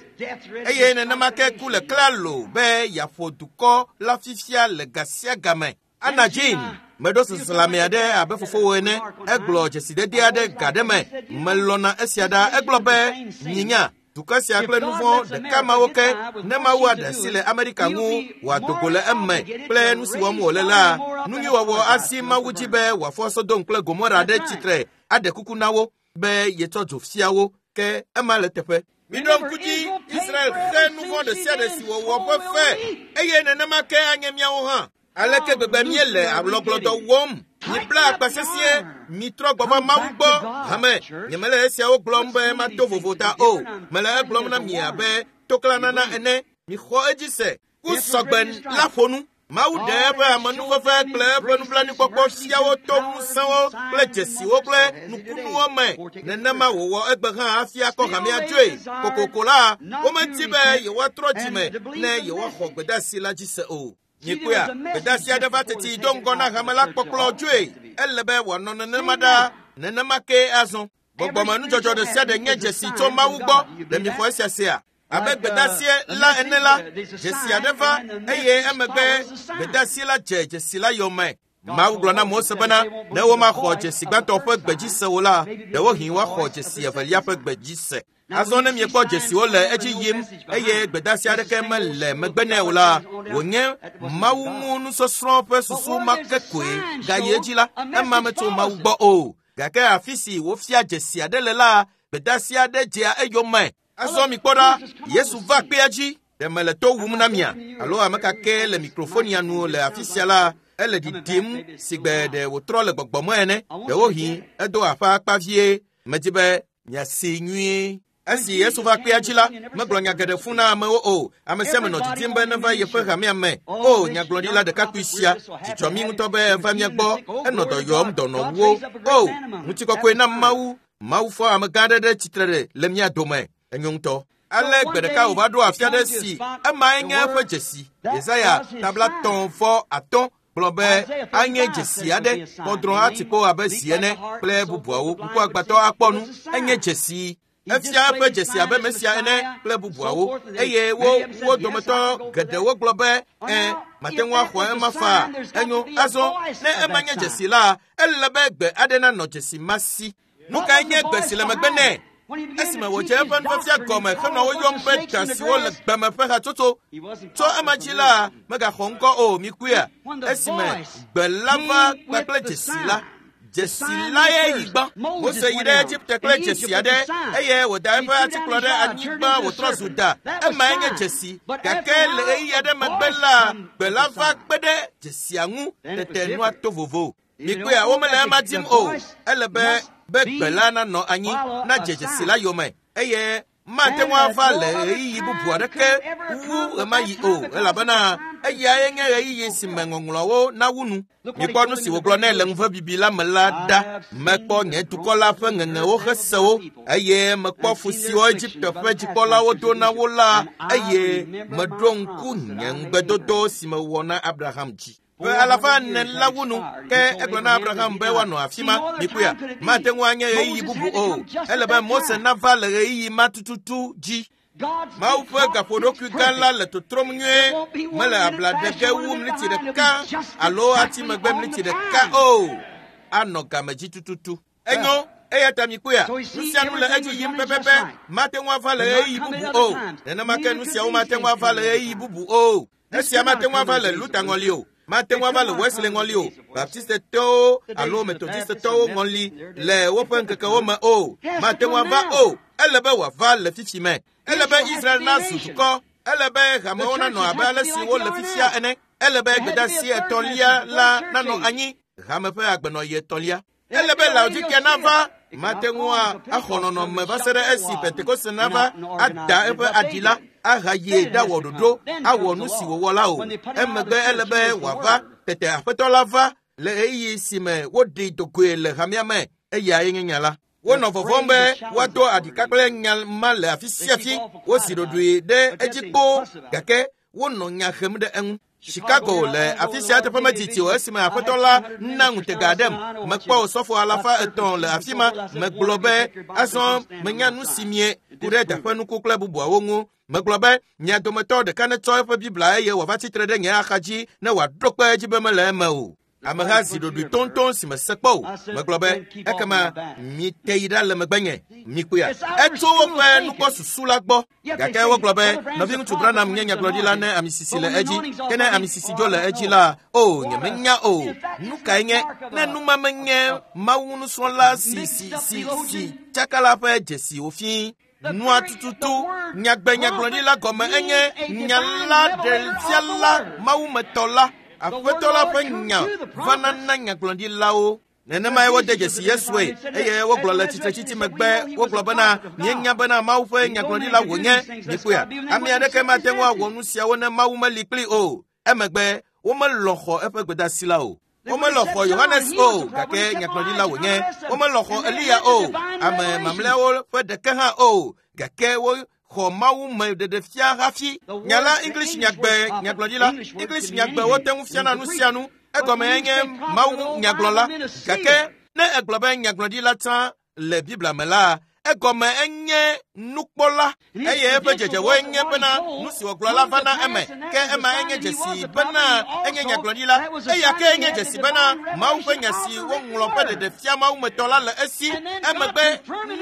eye nenema ke ku le klalo be yeaƒo dukɔ la fifia le ga sia ga me. Anna Jean, meɖo seselãme aɖe abe fofowò ene. Egblɔ dzesidede aɖe ga ɖe me. Melɔ̃na esia ɖa. Egblɔ be nyinya dukɔ sia kple nu vɔ̃ ɖeka mawo ke ne Mawu aɖe asi le Amerika ŋu wòado go le eme kple nu si wɔm wòle la, nu nyui wɔwɔ asi Mawu dzi be wòafɔ Sodom kple Gomora ɖe tsitre aɖe kuku na wo be yetsɔ dzo fia wo ke ema le teƒe. Miɖo ŋku dzi, Israel xe nu vɔ̃ ɖe sia ɖe si wòwɔ ƒe fe eye nenema ke anye míawo hã. Aleke gbegbe míele alɔgblɔdɔ wɔm. Mibla akpa sesĩe, mitrɔ gbɔ va Mawu gbɔ. Hame, nyemele esiawo gblɔm be mato vovo ta o. Mele egblɔm na mi abe toklanana ene. Mixɔ edzi se. Ku sɔgbe la ƒo nu. Mawu ɖe eƒe amenuveve kple eƒe nublanuikpɔkpɔ fiawo to ŋusẽwo kple dzesiwo kple nukunuwo me. Nenema wòwɔ egbe hã hafi akɔ hamea dzoe. Kokoko la, womedi be yewoatrɔ dzime ne yewoaxɔ gbedeasi la dzi se o. Mikpɔea, gbedeasi aɖe va teti do ŋgɔ na hame la kpɔkplɔ dzoe. Ele be wòanɔ nenema ɖaa, nenema ke azɔ. Gbɔgbɔmenudzɔdzɔ ɖe sia ɖe nye dzesi tso Mawu gbɔ. Ɖe mixɔ esia sea? Abe gbedeasi la ene la, dzesi aɖe va eye emegbe gbedeasi la dze dzesi la yome. Mawu gblɔ na Mose bena ne womaxɔ dzesi gbãtɔ ƒe gbe dzi se o la, ɖewohĩ woaxɔ dzesi evelia ƒe gbe dzi se. Azɔ ne miekpɔ dzesiwo le edzi yim eye gbedeasi aɖeke mele megbe nɛ o la, wònye Mawu ŋu nusɔsrɔ̃ ƒe susu ma ke koe gayi edzi la, ema metso Mawu gbɔ o. Gake afi si wofia dzesi aɖe le la, gbedeasi aɖe dzea eyome. Azɔ mikpɔ ɖa, Yesu va kpea dzi. Ɖe mele to wum na mia alo ame ka ke le mikrofonia nu le afi sia la, ele ɖiɖim si gbe ɖe wòtrɔ le gbɔgbɔme ene. Ɖewohĩ edo aƒe akpa vie. Medi be miasi nyuie. Esi Yesu va kpea dzi la, megblɔ nya geɖe fũ na amewo o. Ame sia ame nɔ didim be neva yeƒe hamea me. O, nyagblɔɖila ɖekakpui sia, dzidzɔ mí ŋutɔ be eva mía gbɔ. Enɔ dɔ yɔm dɔnɔwo. O, ŋutikɔkɔe na Mawu. Mawu fɔ amegã aɖe ɖe tsitre ɖe le mía dome. Enyo ŋutɔ. Ale gbe ɖeka wòva ɖo afi aɖe si emae nye eƒe dzesi. Yesaya tabla tɔ̃ vɔ atɔ̃ gblɔ be anye dzesi aɖe, kɔdrɔ̃ atikpo abe zi ene kple bubuawo. Ŋkuagbãtɔ akpɔ nu. Enye dzesi. Efia eƒe dzesi abe Mesia ene kple bubuawo. Eye wo wo dometɔ geɖewo gblɔ be ẽ, mate ŋu axɔ ema faa. Enyo, azɔ ne ema nye dzesi la, ele be gbe aɖe nanɔ dzesi ma si. Nu kae nye gbe si le megbe nɛ? Esime wòdze eƒe nufiafia gɔme henɔ wo yɔm be da siwo le gbeme ƒe hatsotso. Tso ema dzi la, megaxɔ ŋkɔ o, mikuia. Esime gbe la va kpakple dzesi la, dzesi la ye yi gbã. Mose yi ɖe Egipte kple dzesi aɖe eye wòda eƒe atikplɔ ɖe anyigba wòtrɔ zu da. Emae nye dzesi. Gake le ɣeyiɣi aɖe megbe la, gbe la va kpe ɖe dzesia ŋu tete nua to vovo. Mikuia, womele ema dim o. Ele be be gbe la nanɔ anyi nadze dzesi la yome eye mate ŋu ava le ɣeyiɣi bubu aɖeke wu ɣemaɣi o, elabena eyae nye ɣeyiɣi si me ŋɔŋlɔawo nawu nu. Mikpɔ nu si wògblɔ nɛ le ŋuvebibi la me la ɖa. Mekpɔ nye dukɔ la ƒe ŋeŋewo hesewo eye mekpɔ fu siwo Egipte ƒe dzikpɔlawo do na wo la, eye meɖo ŋku nye ŋugbedodo si mewɔ na Abraham dzi. Ƒe alafa ene la wu nu, ke egblɔ na Abraham be woanɔ afi ma. Mikuia, mate ŋu anye ɣeyiɣi bubu o. Ele be Mose nava le ɣeyiɣi ma tututu dzi. Mawu ƒe gaƒoɖokui gã la le totrom nyuie. Mele abla ɖe ge wu mliti ɖeka alo ati megbe mliti ɖeka o. Anɔ game dzi tututu. Enyo, eya ta mikuia, nu sia nu le edzi yim pɛpɛpɛ. Mate ŋu ava le ɣeyiɣi bubu o. Nenema ke nu siawo mate ŋu ava le ɣeyiɣi bubu o. Esia mate ŋu ava le Luther ŋɔli o. Mate ŋu ava le Wesley ŋɔli o, Baptistetɔwo alo Methodistetɔwo ŋɔli le woƒe ŋkekewo me o. Mate ŋu ava o. Ele be wòava le fifi me. Ele be Israel nazu dukɔ. Ele be hamewo nanɔ abe ale si wole fifia ene. Ele be gbedeasi etɔ̃lia la nanɔ anyi, hame ƒe agbenɔɣi etɔ̃lia. Ele be Laodikea nava. Mate ŋu axɔ nɔnɔme va se ɖe esi Pentekoste nava ada eƒe aɖi la ahayi ɖawɔ ɖoɖo awɔ nu si wòwɔ la o. Emegbe ele be wòava. Tete Aƒetɔ la va le ɣeyiɣi si me woɖi dogoe le hamea me. Eyae nye nya la. Wonɔ vɔvɔ̃m be woado aɖika kple nya ma le afi sia afi. Wozi ɖoɖoe ɖe edzi kpoo, gake wonɔ nya hem ɖe eŋu. Chicago le afi sia teƒe medidi o esime Aƒetɔ la na ŋutega aɖem. Mekpɔ osɔfo alafa etɔ̃ le afi ma. Megblɔ be azɔ menya nu si mie ku ɖe daƒenuku kple bubuawo ŋu. Megblɔ be mia dometɔ ɖeka netsɔ eƒe Biblia eye wòava tsitre ɖe nye axa dzi ne wòaɖo kpe edzi be mele eme o. Ameha zi ɖoɖoe toŋtoŋ si mese kpɔ o. Megblɔ be ekema mite yi ɖa le megbenye. Mikpɔea, etso woƒe nukpɔsusu la gbɔ. Gake wogblɔ be nɔviŋutsu Branham nye nyagblɔɖila ne amisisi le edzi. Ke ne amisisi dzo le edzi la, o, nyemenya o. Nu kae nye ne nu ma menye Mawu nusrɔ̃la si si si si tsaka la ƒe dzesi wòfii? Nua tututu nyagbe nyagblɔɖila gɔme enye nya la ɖefiala mawumetɔ la. Aƒetɔ la ƒe nya vana na nyagblɔɖilawo. Nenemae wode dzesi Yesue eye wogblɔ le tsitretsitsi megbe wogblɔ bena míenya bena Mawu ƒe nyagblɔɖila wònye. Mikpɔea, ame aɖeke mate ŋu awɔ nu siawo ne Mawu meli kpli o. Emegbe womelɔ̃ xɔ eƒe gbedeasi la o. Womelɔ̃ xɔ Yohanes o, gake nyagblɔɖila wònye. Womelɔ̃ xɔ Eliya o, ame mamlɛawo ƒe ɖeke hã o, gake wo xɔ Mawu me ɖeɖefia hafi. Nya la English nyagbe nyagblɔɖila. English nyagbe wote ŋu fiana nu sia nu. Egɔme nye Mawu nyagblɔla. Gake ne egblɔ be nyagblɔɖila tsã le Biblia me la, Egɔme enye nukpɔla eye eƒe dzedzewoe nye bena nu si wògblɔ la va na eme. Ke ema enye dzesi bena enye nyagblɔɖila. Eya ke enye dzesi bena Mawu ƒe nya si woŋlɔ ƒe ɖeɖefia mawumetɔ la le esi. Emegbe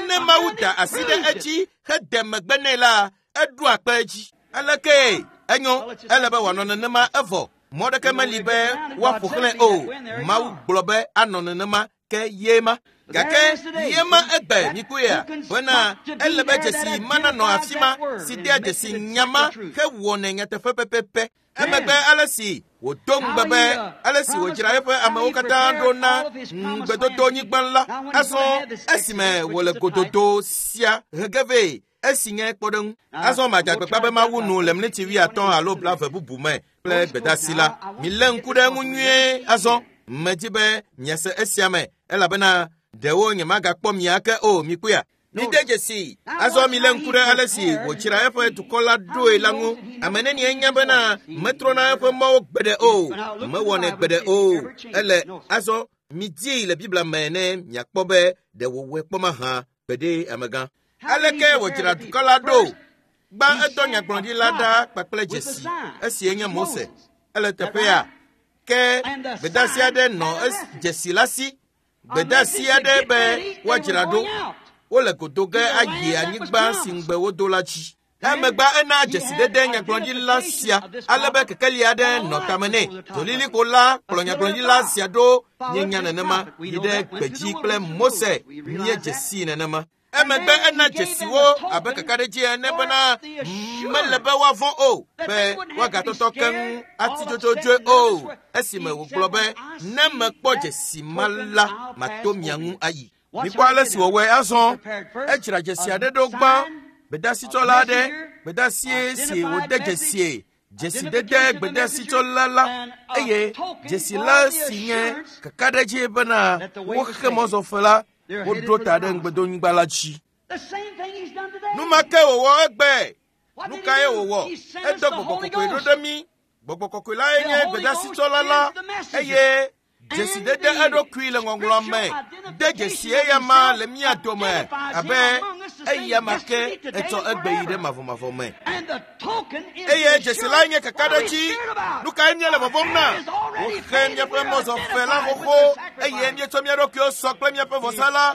ne Mawu da asi ɖe edzi hede megbe nɛ la, eɖoa kpe edzi. Aleke enyo ele be wòanɔ nenema evɔ. Mɔ ɖeke meli be woaƒo xlẽ o. Mawu gblɔ be anɔ nenema ke ye ma. Gake ye ma egbe mikpɔea bena ele be dzesi ma nanɔ afi ma si dea dzesi nyama hewɔnɛ nyateƒe pɛpɛpɛ. Emegbe ale si wòdo ŋugbe be ale si wòdzra eƒe amewo katã ɖo na ŋugbedodonyigba la, azɔ esime wòle gododo sia hege vɛ esi nye kpɔɖeŋu. Azɔ madze agbagba be mawu nu le miniti wuiatɔ̃ alo blaeve bubu me kple gbedasi la. Milé ŋku ɖe eŋu nyuie azɔ. Medzi be miase esia me elabena ɖewo nyemagakpɔ mia ke o mikpɔea. Mide dzesi. Azɔ milé ŋku ɖe ale si wòdzra eƒe dukɔ la ɖoe la ŋu. Ame nenie nya bena metrɔna eƒe mɔwo gbeɖe o, mewɔnɛ gbeɖe o. Ele azɔ midii le Biblia me ne miakpɔ be ɖe wòwɔe kpɔ mahã gbeɖe amegã. Aleke wòdzra dukɔ la ɖo? Gbã edɔ nyagblɔɖila ɖa kpakple dzesi esi enye Mose. Ele teƒea ke gbedasi aɖe nɔ dzesi la si. Gbedasi aɖe be woadzra ɖo. Wole godo ge ayi anyigba si ŋugbe wodo la dzi. Emegbe ena dzesidede nyagblɔɖila sia ale be kekeli aɖe nɔ tame nɛ. Dzolilikpo la kplɔ nyagblɔɖila sia ɖo míenya nenema yi ɖe gbedzi kple Mose míedze dzesi nenema. Emegbe ena dzesiwo abe kakaɖedzi ene bena mele be woavɔ̃ o, be woagatɔtɔ keŋ ati dzodzodzoe o. Esime wògblɔ be ne mekpɔ dzesi ma la, mato mia ŋu ayi. Mikpɔ ale si wòwɔe azɔ. Edzra dzesi aɖe ɖo gbã, gbedasitsɔla aɖe, gbedasie si wòde dzesie, dzesidede gbedasitsɔla la, eye dzesi la si nye kakaɖedzi bena woxe mɔzɔfe la, woɖo ta ɖe ŋugbedonyigba la dzi. Nu ma ke wòwɔ egbe. Nu kae wòwɔ? Edɔ gbɔgbɔ kɔkɔe ɖo ɖe mí. Gbɔgbɔ kɔkɔe lae nye gbedasitsɔla la, eye dzesidede eɖokui le ŋɔŋlɔ me de dzesi eya ma le mía dome abe eya ma ke etsɔ egbe yi ɖe mavɔmavɔ me. Eye dzesi lae nye kakaɖedzi. Nu kae míele vɔvɔ̃m na? Woxe míaƒe mɔzɔfe la xoxo eye míetsɔ mía ɖokuiwo sɔ kple míaƒe vɔsa la.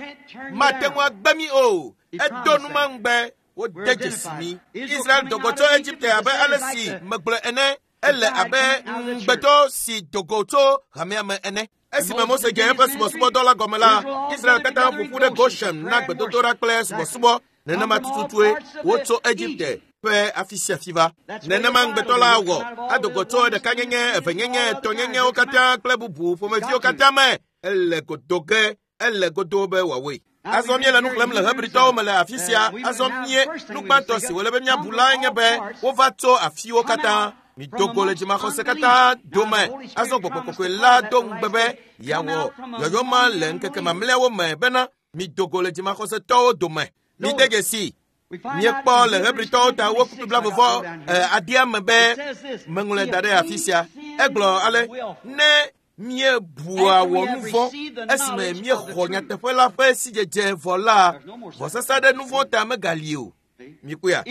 Mate ŋu agbe mí o. Edo nu ma ŋugbe wode dzesi mí. Israel do go tso Egipte abe ale si megblɔe ene. Ele abe ŋugbetɔ si do go tso hamea me ene. Esime Mose dze eƒe subɔsubɔdɔ la gɔme la, Israel katã ƒo ƒu ɖe Goshen na gbedodoɖa kple subɔsubɔ. Nenema tututue wotso Egipte ƒe afi sia afi va. Nenema ŋugbetɔ la wɔ ado go tso ɖekanyenye, evenyenye, etɔ̃nyenyewo katã kple bubu ƒomeviwo katã me. Ele godo ge, ele godo be wòawɔe. Azɔ míele nu xlẽm le Hebritɔwo me le afi sia. Azɔ mie nu gbãtɔ si wòle be míabu lae nye be wova tso afiwo katã. Mido go le dzimaxɔse katã dome. Azɔ gbɔgbɔ kɔkɔe la do ŋugbe be yeawɔ yɔyɔ ma le ŋkeke mamlɛawo me bena mido go le dzimaxɔsetɔwo dome. Mide dzesi. Míekpɔ le Hebritɔwo ta wo kpukpui blaeve adea me be meŋlɔe da ɖe afi sia. Egblɔ ale ne míebua wɔ nu vɔ̃ esime míexɔ nyateƒe la ƒe sidzedze vɔ la, vɔsasa ɖe nu vɔ̃ ta megali o. Mikpɔea?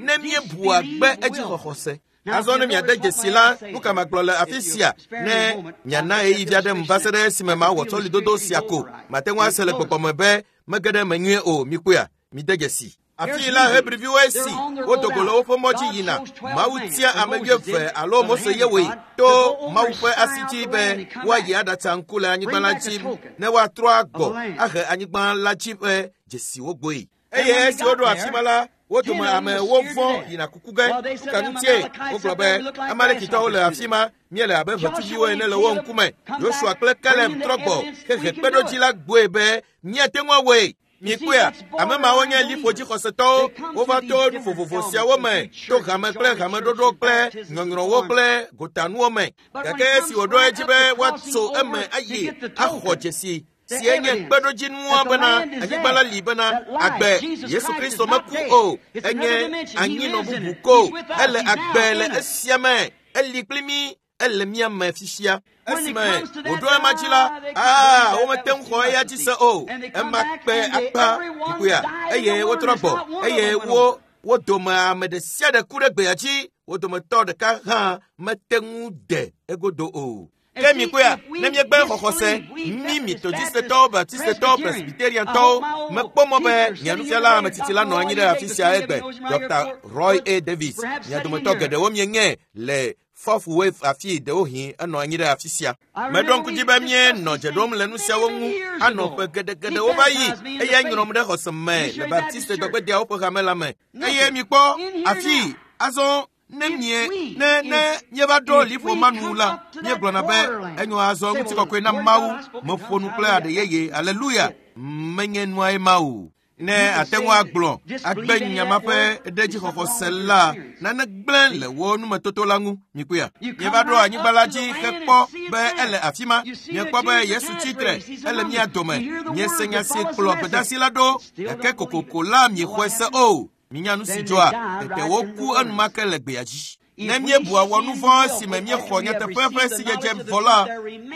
Ne míebua gbe edzixɔxɔse. Azɔ ne miade dzesi la, nu ka magblɔ le afi sia ne miana ɣeyiɣi aɖe m va se ɖe esime mawɔ sɔlidodo sia ko. Mate ŋu ase le gbɔgbɔ me be mege ɖe eme nyuie o. Mikpɔea? Mide dzesi. Afi la Hebriviwoe si wodo go le woƒe mɔ dzi yina. Mawu tia ame wuieve alo Mose ye wɔe to Mawu ƒe asi dzi be woayi aɖatsa ŋku le anyigba la dzi ne woatrɔ agbɔ ahe anyigba la dzi ƒe dzesiwo gbɔe. Eye esi woɖo afi ma la, wo dome amewo vɔ̃ yina kuku ge. Nu ka ŋutie? Wogblɔ be Amalekitɔwo le afi ma, míele abe ʋetsuviwo ene le wo ŋkume. Yosua kple Kaleb trɔ gbɔ hehe kpeɖodzi la gbɔe be míate ŋu awɔe. Mikpɔea? Ame mawo nye liƒodzixɔsetɔwo. Wova to nu vovovo siawo me, to hame kple hameɖoɖo kple nyɔnyrɔwo kple gotanuwo me. Gake esi wòɖo edzi be woatso eme ayi axɔ dzesi si enye kpeɖodzinua bena anyigba la li bena agbe Yesu Kristo meku o, enye anyinɔ bubu ko. Ele agbe le esia me, eli kpli mí, Ele mía me fifia. Esime wòɖo ema dzi la, aa, womete ŋu xɔ eya dzi se o. Ema kpe akpa ŋkuya eye wotrɔ gbɔ eye wo wo dome ame ɖe sia ɖe ku ɖe gbea dzi. Wo dometɔ ɖeka hã mete ŋu de egodo o. Ke mi koya, ne miegbe xɔxɔse, mi Metodistetɔwo, Baptistetɔwo, Presbyteriantɔwo, mekpɔ mɔ be mia nufiala ametsitsi la nɔ anyi ɖe afi sia egbe, Doctor Roy A. Davis. Mia dometɔ geɖewo mienye le Fourth Wave afi ɖewohĩ enɔ anyi ɖe afi sia. Meɖo ŋku dzi be míenɔ dze ɖom le nu siawo ŋu anɔ ƒe geɖegeɖewo va yi eye nyrɔm ɖe xɔse me le Baptiste dɔgbedeawo ƒe hame la me. Eye mikpɔ afi azɔ ne mie ne ne míeva ɖo liƒo ma nu la, míegblɔna be enyo azɔ ŋutikɔkɔe na Mawu, meƒo nu kple aɖe yeye, aleluya, menye nuae ma o. Ne ate ŋu agblɔ agbe nya ma ƒe ɖedzixɔxɔse la, nane gblẽ le wo numetoto la ŋu. Mikpɔea, míeva ɖo anyigba la dzi hekpɔ be ele afi ma. Míekpɔ be Yesu tsitre, ele mía dome. Míese nya si kplɔ gbedeasi la ɖo, gake kokoko la miexɔe se o. Minya nu si dzɔa, tete woku enumake le gbea dzi. Ne míebua wɔ nu vɔ̃ esime míexɔ nyateƒe ƒe sidzedze vɔ la,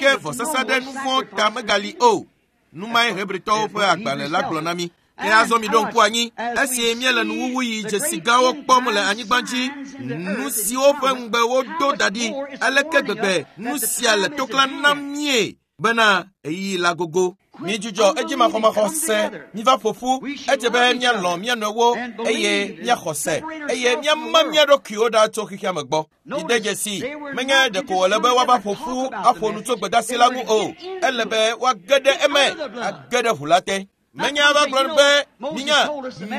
ke vɔsasa ɖe nu vɔ̃ ta megali o. Nu mae Hebritɔwo ƒe agbalẽ la gblɔ na mí. Ke azɔ mi ɖo ŋku anyi, esi míele nuwuwu yi dzesi gãwo kpɔm le anyigba dzi, nu siwo ƒe ŋugbe wodo da ɖi, aleke gbegbe nu sia le toklã nam mie bena ɣeyiɣi la gogo. Midzudzɔ edzimaxɔmaxɔ se, miva ƒo ƒu, edze be míalɔ̃ mía nɔewo eye míaxɔ se eye míama mía ɖokuiwo ɖa tso xexea me gbɔ. Mide dzesi, menye ɖeko wòle be woava ƒo ƒu aƒo nu tso gbedeasi la ŋu o, ele be woage ɖe eme, age ɖe ʋu la te. Menye ava gblɔ be minya,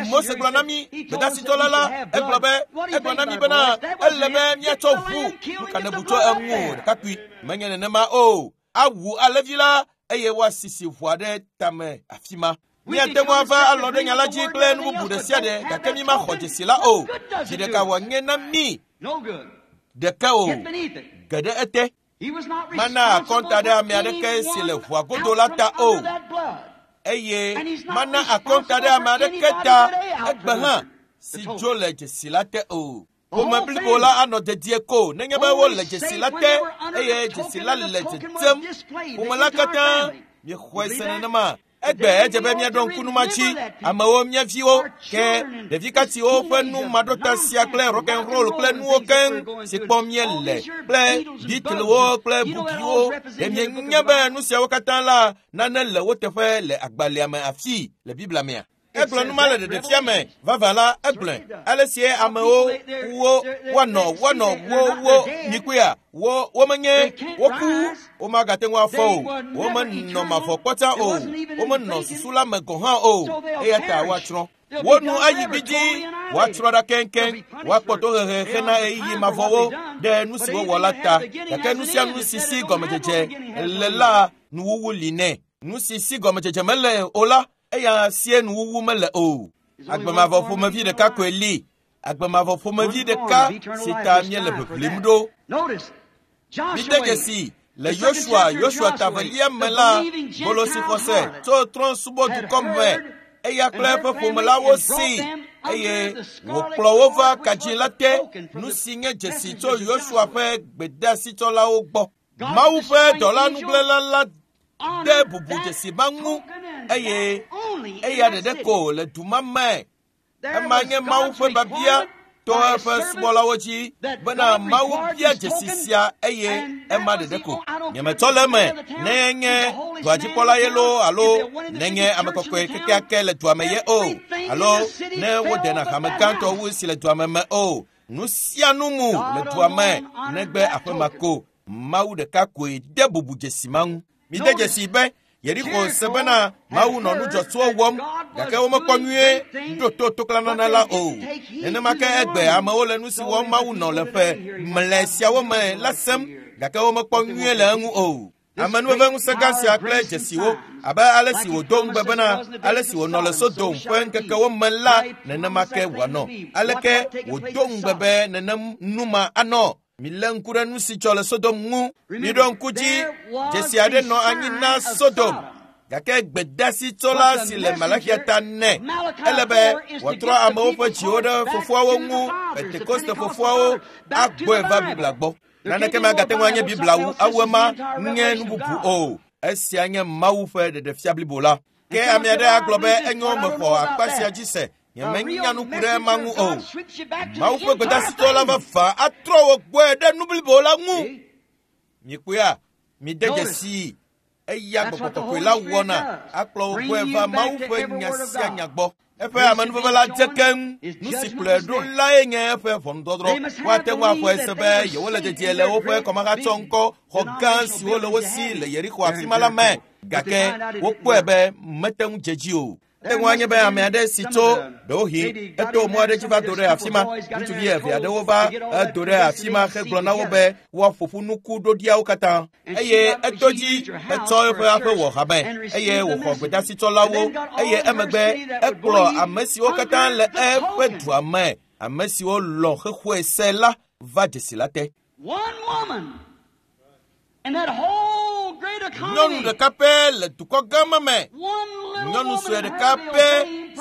Mose gblɔ na mí, gbedasitɔla la, egblɔ be, egblɔ na mí bena ele be míatsɔ ʋu, nu ka nebu tso eŋu o, ɖekakpui. Menye nenema o. Awu alẽvi la eye woasisi ʋua ɖe tame afi ma. Míate ŋu ava alɔ ɖe nya la dzi kple nu bubu ɖe sia ɖe, gake mímaxɔ dzesi la o. Dzi ɖeka wòanye na mí ɖeke o, ge ɖe ete. Mana akɔnta ɖe ame aɖeke si le ʋua godo la ta o. Eye mana akɔnta ɖe ame aɖeke ta egbe hã si dzo le dzesi la te o. Ƒome blibo la anɔ dedie ko nenye be wole dzesi la te eye dzesi la le dzedzem. Ƒome la katã miexɔe se nenema. Egbe edze be míaɖo ŋku nu ma dzi. Amewo, mía viwo, ke ɖevi katiwo ƒe nu maɖota sia kple rock and roll kple nuwo keŋ si kpɔm míele kple Beatlewo kple bubuwo. Ɖe mienya be nu siawo katã la nane le wo teƒe le agbalẽa me afi le Biblia mea? Egblɔ nu ma le ɖeɖefia me vava la, egblɔe ale sie amewo wo woanɔ woanɔ wo wo mikpɔea wo womenye woku womagate ŋu afɔ o, womenɔ mavɔ kpɔta o, womenɔ susu la me gɔ̃ hã o, eya ta woatsrɔ̃. Wo nu ayi gbidzi, woatsrɔ̃ ɖa keŋkeŋ, woakpɔ tohehe hena ɣeyiɣi mavɔwo ɖe nu si wowɔ la ta. Gake nu sia nu si si gɔmedzedze le la, nuwuwu li nɛ. Nu si si gɔmedzedze mele o la, eya sie nuwuwu mele o. Agbemavɔ ƒomevi ɖeka koe li. Agbemavɔ ƒomevi ɖeka si ta míele ʋiʋlim ɖo. Mide dzesi le Yosua, Yosua tavelia me la, bolo si xɔse tso trɔ̃subɔdukɔ me, eya kple eƒe ƒome la wo si eye wòkplɔ wo va kadzi la te. Nu si nye dzesi tso Yosua ƒe gbedeasitsɔlawo gbɔ. Mawu ƒe dɔla nugblẽla la de bubu dzesi ma ŋu eye eya ɖeɖe ko le du ma me. Ema nye Mawu ƒe biabia to eƒe subɔlawo dzi bena Mawu bia dzesi sia eye ema ɖeɖe ko. Nyemetsɔ le eme ne nye duadzikpɔla ye loo alo ne nye ame kɔkɔe kekeake le dua me ye o, alo ne wodena hame gãtɔ wu si le dua me me o. Nu sia nu mu le dua me negbe aƒe ma ko. Mawu ɖeka koe de bubu dzesi ma ŋu. Mide dzesi be Yeriko se bena Mawu nɔ nu dzɔtsuwo wɔm, gake womekpɔ nyuie ɖo to toklanana la o. Nenema ke egbe amewo le nu si wɔm Mawu nɔ le ƒe mlɛ siawo me la sem, gake womekpɔ nyuie le eŋu o. Amenuveve ŋusẽ gã sia kple dzesiwo, abe ale si wòdo ŋugbe bena ale si wònɔ le Sodom ƒe ŋkekewo me la, nenema ke wòanɔ. Aleke wòdo ŋugbe be nenem nu ma anɔ? Milé ŋku ɖe nu si dzɔ le Sodom ŋu. Miɖo ŋku dzi, dzesi aɖe nɔ anyi na Sodom, gake gbedeasitsɔla si le Malakia ta nɛ. Ele be wòatrɔ amewo ƒe dziwo ɖe fofoawo ŋu, Pentekoste fofoawo agbɔe va Biblia gbɔ. Naneke magate ŋu anye Biblia wu awu ema nye nu bubu o. Esia nye Mawu ƒe ɖeɖefia blibo la. Ke ame aɖe agblɔ be enyo mexɔ akpa sia dzi se. Nyemenya nu ku ɖe ema ŋu o. Mawu ƒe gbedasitɔ la vavã atrɔ wò gbɔe ɖe nu blibo la ŋu. Mikpɔea, mide dzesii. Eya Gbɔgbɔ Kɔkɔe la wɔna akplɔ wò gbɔe va Mawu ƒe nya sia nya gbɔ. Eƒe amenuveve la dze keŋ. Nu si kplɔe ɖo lae nye eƒe ʋɔnudɔdrɔ̃. Woate ŋu axɔe se be yewole dedie le woƒe kɔmahatsɔ ŋkɔ xɔ gã siwo le wo si le Yeriko afi ma la me. Gake wokpɔe be mete ŋu dze dzi o. Ate ŋu anye be ame aɖe si tso ɖewohĩ eto mɔ aɖe dzi va do ɖe afi ma. Ŋutsuvi eve aɖewo va edo ɖe afi ma hegblɔ na wo be woaƒo ƒu nuku ɖoɖiawo katã. Eye eto dzi etsɔ eƒe aƒe wɔ hame eye wòxɔ gbedasitsɔlawo eye emegbe ekplɔ ame siwo katã le eƒe dua me, ame siwo lɔ̃ xexɔe se la va dzesi la te. Nyɔnu ɖeka pɛ le dukɔ gã ma me. Nyɔnu sue ɖeka pɛ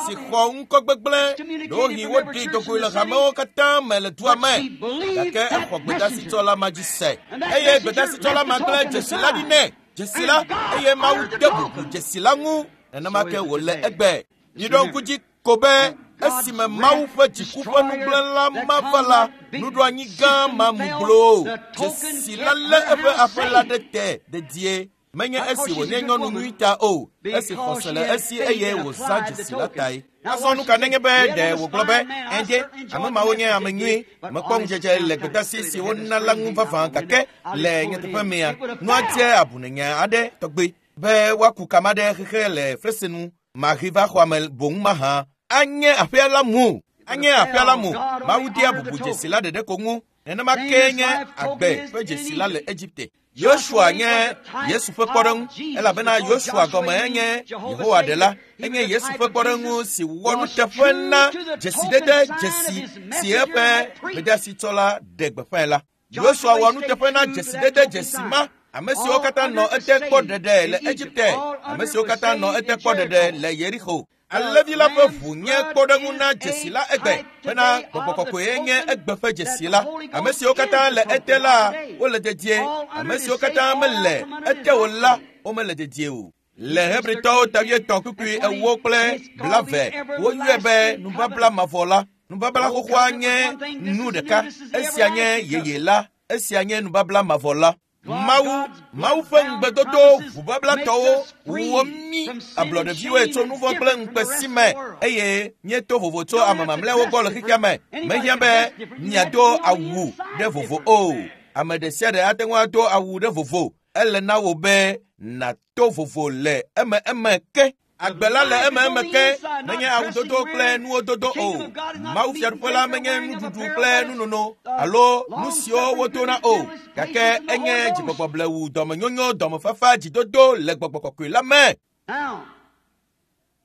si xɔ ŋkɔ gbegblẽ ɖewohĩ woɖi dogoe le hamewo katã me le dua me. Gake exɔ gbedasitsɔla ma dzi se. Eye gbedasitsɔla ma gblẽ dzesi la ɖi nɛ. Dzesi la eye Mawu de bubu dzesi la ŋu. Nenema ke wòle egbe. Miɖo ŋku dzi ko be esime Mawu ƒe dziku ƒe nugblẽla ma va la, nuɖoanyi gã ma mu gbloo. Dzesi la lé eƒe aƒe la ɖe te dedie. Menye esi wònye nyɔnu nyui ta o, esi xɔse le esi eye wòzã dzesi la tae. Azɔ nu ka nenye be ɖe wògblɔ be ɛnde ame mawo nye ame nyui, mekpɔ ŋudzedze le gbedasi si wona la ŋu vavã gake le nyateƒe mea, nua dze abunenya aɖe tɔgbe be woaku kama ɖe xexe le fesenu mahi va xɔa me boŋ mahã. Anye aƒea la mu, anye aƒea la mu. Mawu dea bubu dzesi la ɖeɖe ko ŋu. Nenema ke nye agbe ƒe dzesi la le Egipte. Yosua nye Yesu ƒe kpɔɖeŋu elabena Yosua gɔme enye Yehowa ɖela. Enye Yesu ƒe kpɔɖeŋu si wɔ nuteƒe na dzesidede dzesi si eƒe gbedasitsɔ la ɖe gbeƒãe la. Yosua wɔ nuteƒe na dzesidede dzesi ma. Ame siwo katã nɔ ete kpɔ ɖeɖe le Egipte, ame siwo katã nɔ ete kpɔ ɖeɖe le Yeriko. Alẽvi la ƒe ʋu nye kpɔɖeŋu na dzesi la egbe bena Gbɔgbɔ Kɔkɔe nye egbe ƒe dzesi la. Ame siwo katã le ete la, wole dedie. Ame siwo katã mele ete o la, womele dedie o. Le Hebritɔwo ta wuietɔ̃ kpukpui ewo kple blave, woyɔe be nubabla mavɔ la. Nubabla xoxoa nye nu ɖeka. Esia nye yeye la. Esia nye nubabla mavɔ la. Mawu, Mawu ƒe ŋugbedodo ʋubablatɔwo wɔ mí ablɔɖeviwoe tso nu vɔ̃ kple ŋukpe si me eye míeto vovo tso ame mamlɛawo gbɔ le xexea me. Mehiã be miado awu ɖe vovo o. Ame ɖe sia ɖe ate ŋu ado awu ɖe vovo. Ele na wò be nàto vovo le eme eme ke. Agbe la le eme eme ke, menye awudodo kple nuwo dodo o. Mawu fiaɖuƒe la menye nuɖuɖu kple nunono alo nu siwo wodona o. Gake enye dzigbɔgbɔ blewu, dɔmenyonyo, dɔmefafa, dzidodo le Gbɔgbɔ Kɔkɔe la me.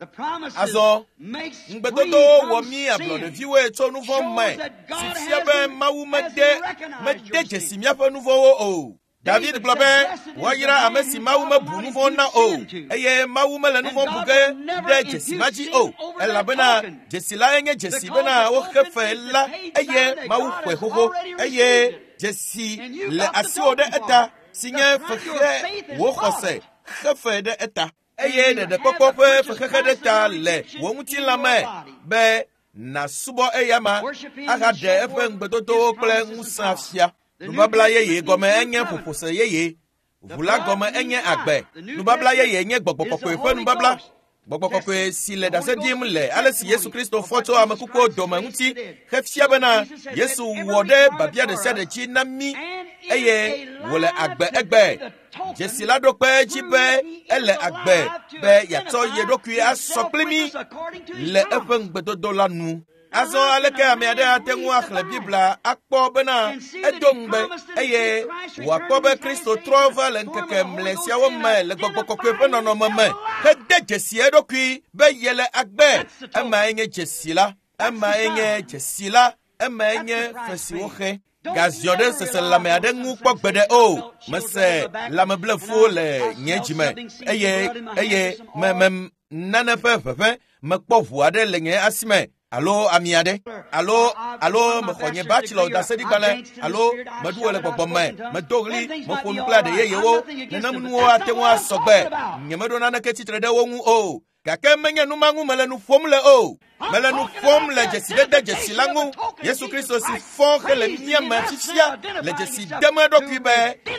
Azɔ ŋugbedodowo wɔ mí ablɔɖeviwoe tso nu vɔ̃ me, si fia be Mawu mede mede dzesi míaƒe nu vɔ̃wo o. David gblɔ be woayra ame si Mawu mebu nu vɔ̃ na o, eye Mawu mele nu vɔ̃ bu ge ɖe dzesi ma dzi o, elabena dzesi lae nye dzesi bena woxe fe la eye Mawu xɔe xoxo eye dzesi le asiwò ɖe eta si nye fexe wò xɔse xe fe ɖe eta eye ɖeɖekpɔkpɔ ƒe fexexe ɖe ta le wò ŋutilã me be nàsubɔ eyama ahaɖe eƒe ŋugbedodowo kple ŋusẽ afia. Nubabla yeye gɔme enye ƒoƒose yeye. Ʋu la gɔme enye agbe. Nubabla yeye nye Gbɔgbɔ Kɔkɔe ƒe nubabla. Gbɔgbɔ Kɔkɔe si le ɖase ɖim le ale si Yesu Kristo fɔ tso ame kukuwo dome ŋuti hefia bena Yesu wɔ ɖe babia ɖe sia ɖe dzi na mí eye wòle agbe egbe. Dzesi la ɖo kpe edzi be ele agbe be yeatsɔ ye ɖokui asɔ kpli mí le eƒe ŋugbedodo la nu. Azɔ aleke ame aɖe ate ŋu axlẽ Biblia akpɔ bena edo ŋugbe eye wòakpɔ be Kristo trɔ va le ŋkeke mlɛ siawo me le Gbɔgbɔ Kɔkɔe ƒe nɔnɔme me hede dzesi eɖokui be yele agbe. Emae nye dzesi la. Emae nye dzesi la. Emae nye fe si woxe. Gaziɔ ɖe seselãme aɖe ŋu kpɔ gbeɖe o. Mese lãmeblefuwo le nye dzime eye eye me me nane ƒe ʋeʋẽ mekpɔ ʋu aɖe le nye asi me alo ami aɖe alo alo mexɔ nye bachelor ɖaseɖigbalẽ alo meɖu wɔ le gbɔgbɔ me medo ɣli meƒo nu kple aɖe yeyewo nenem nuwo ate ŋu asɔgbe nyemeɖo naneke tsitre ɖe wo ŋu o gake menye nu ma ŋu mele nu ƒom le o mele nu ƒom le dzesidede dzesi la ŋu Yesu Kristo si fɔ hele mía me fifia le dzesi dem eɖokui be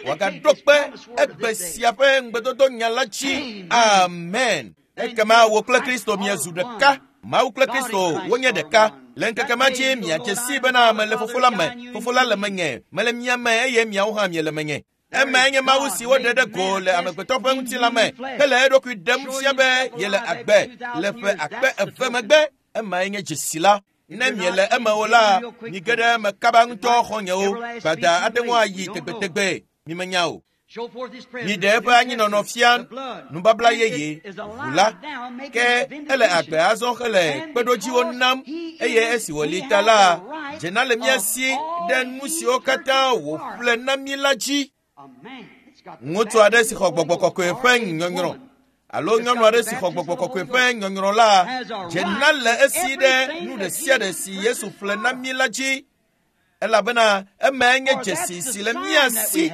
wòagaɖo kpe egbe sia ƒe ŋugbedodo nya la dzi. Amen. Ekema wò kple Kristo miezu ɖeka. Mawu kple Kristo wonye ɖeka. Le ŋkeke ma dzi miadze sii bena mele Fofo la me, Fofo la le menye, mele mia me eye miawo hã miele menye. Emae nye Mawu si woɖe ɖe go le amegbetɔ ƒe ŋutilã me hele eɖokui ɖem fia be yele agbe le ƒe akpe eve megbe. Emae nye dzesi la. Ne miele eme o la, mige ɖe eme kaba ŋutɔ xɔ̃nyewo. Gbada ate ŋu ayi tegbetegbe. Mimenya o. Miɖe eƒe anyinɔnɔ fia nubabla yeye ʋu la ke ele agbe azɔ hele kpeɖodziwo nam eye esi wòli ta la dzena le mía si ɖe nu siwo katã wòƒle na mí la dzi. Ŋutsu aɖe si xɔ gbɔgbɔ kɔkɔe ƒe nyɔnyrɔ alo nyɔnu aɖe si xɔ gbɔgbɔ kɔkɔe ƒe nyɔnyrɔ la dzena le esi ɖe nu ɖe sia ɖe si Yesu ƒle na mí la dzi elabena emae nye dzesi si le mía si.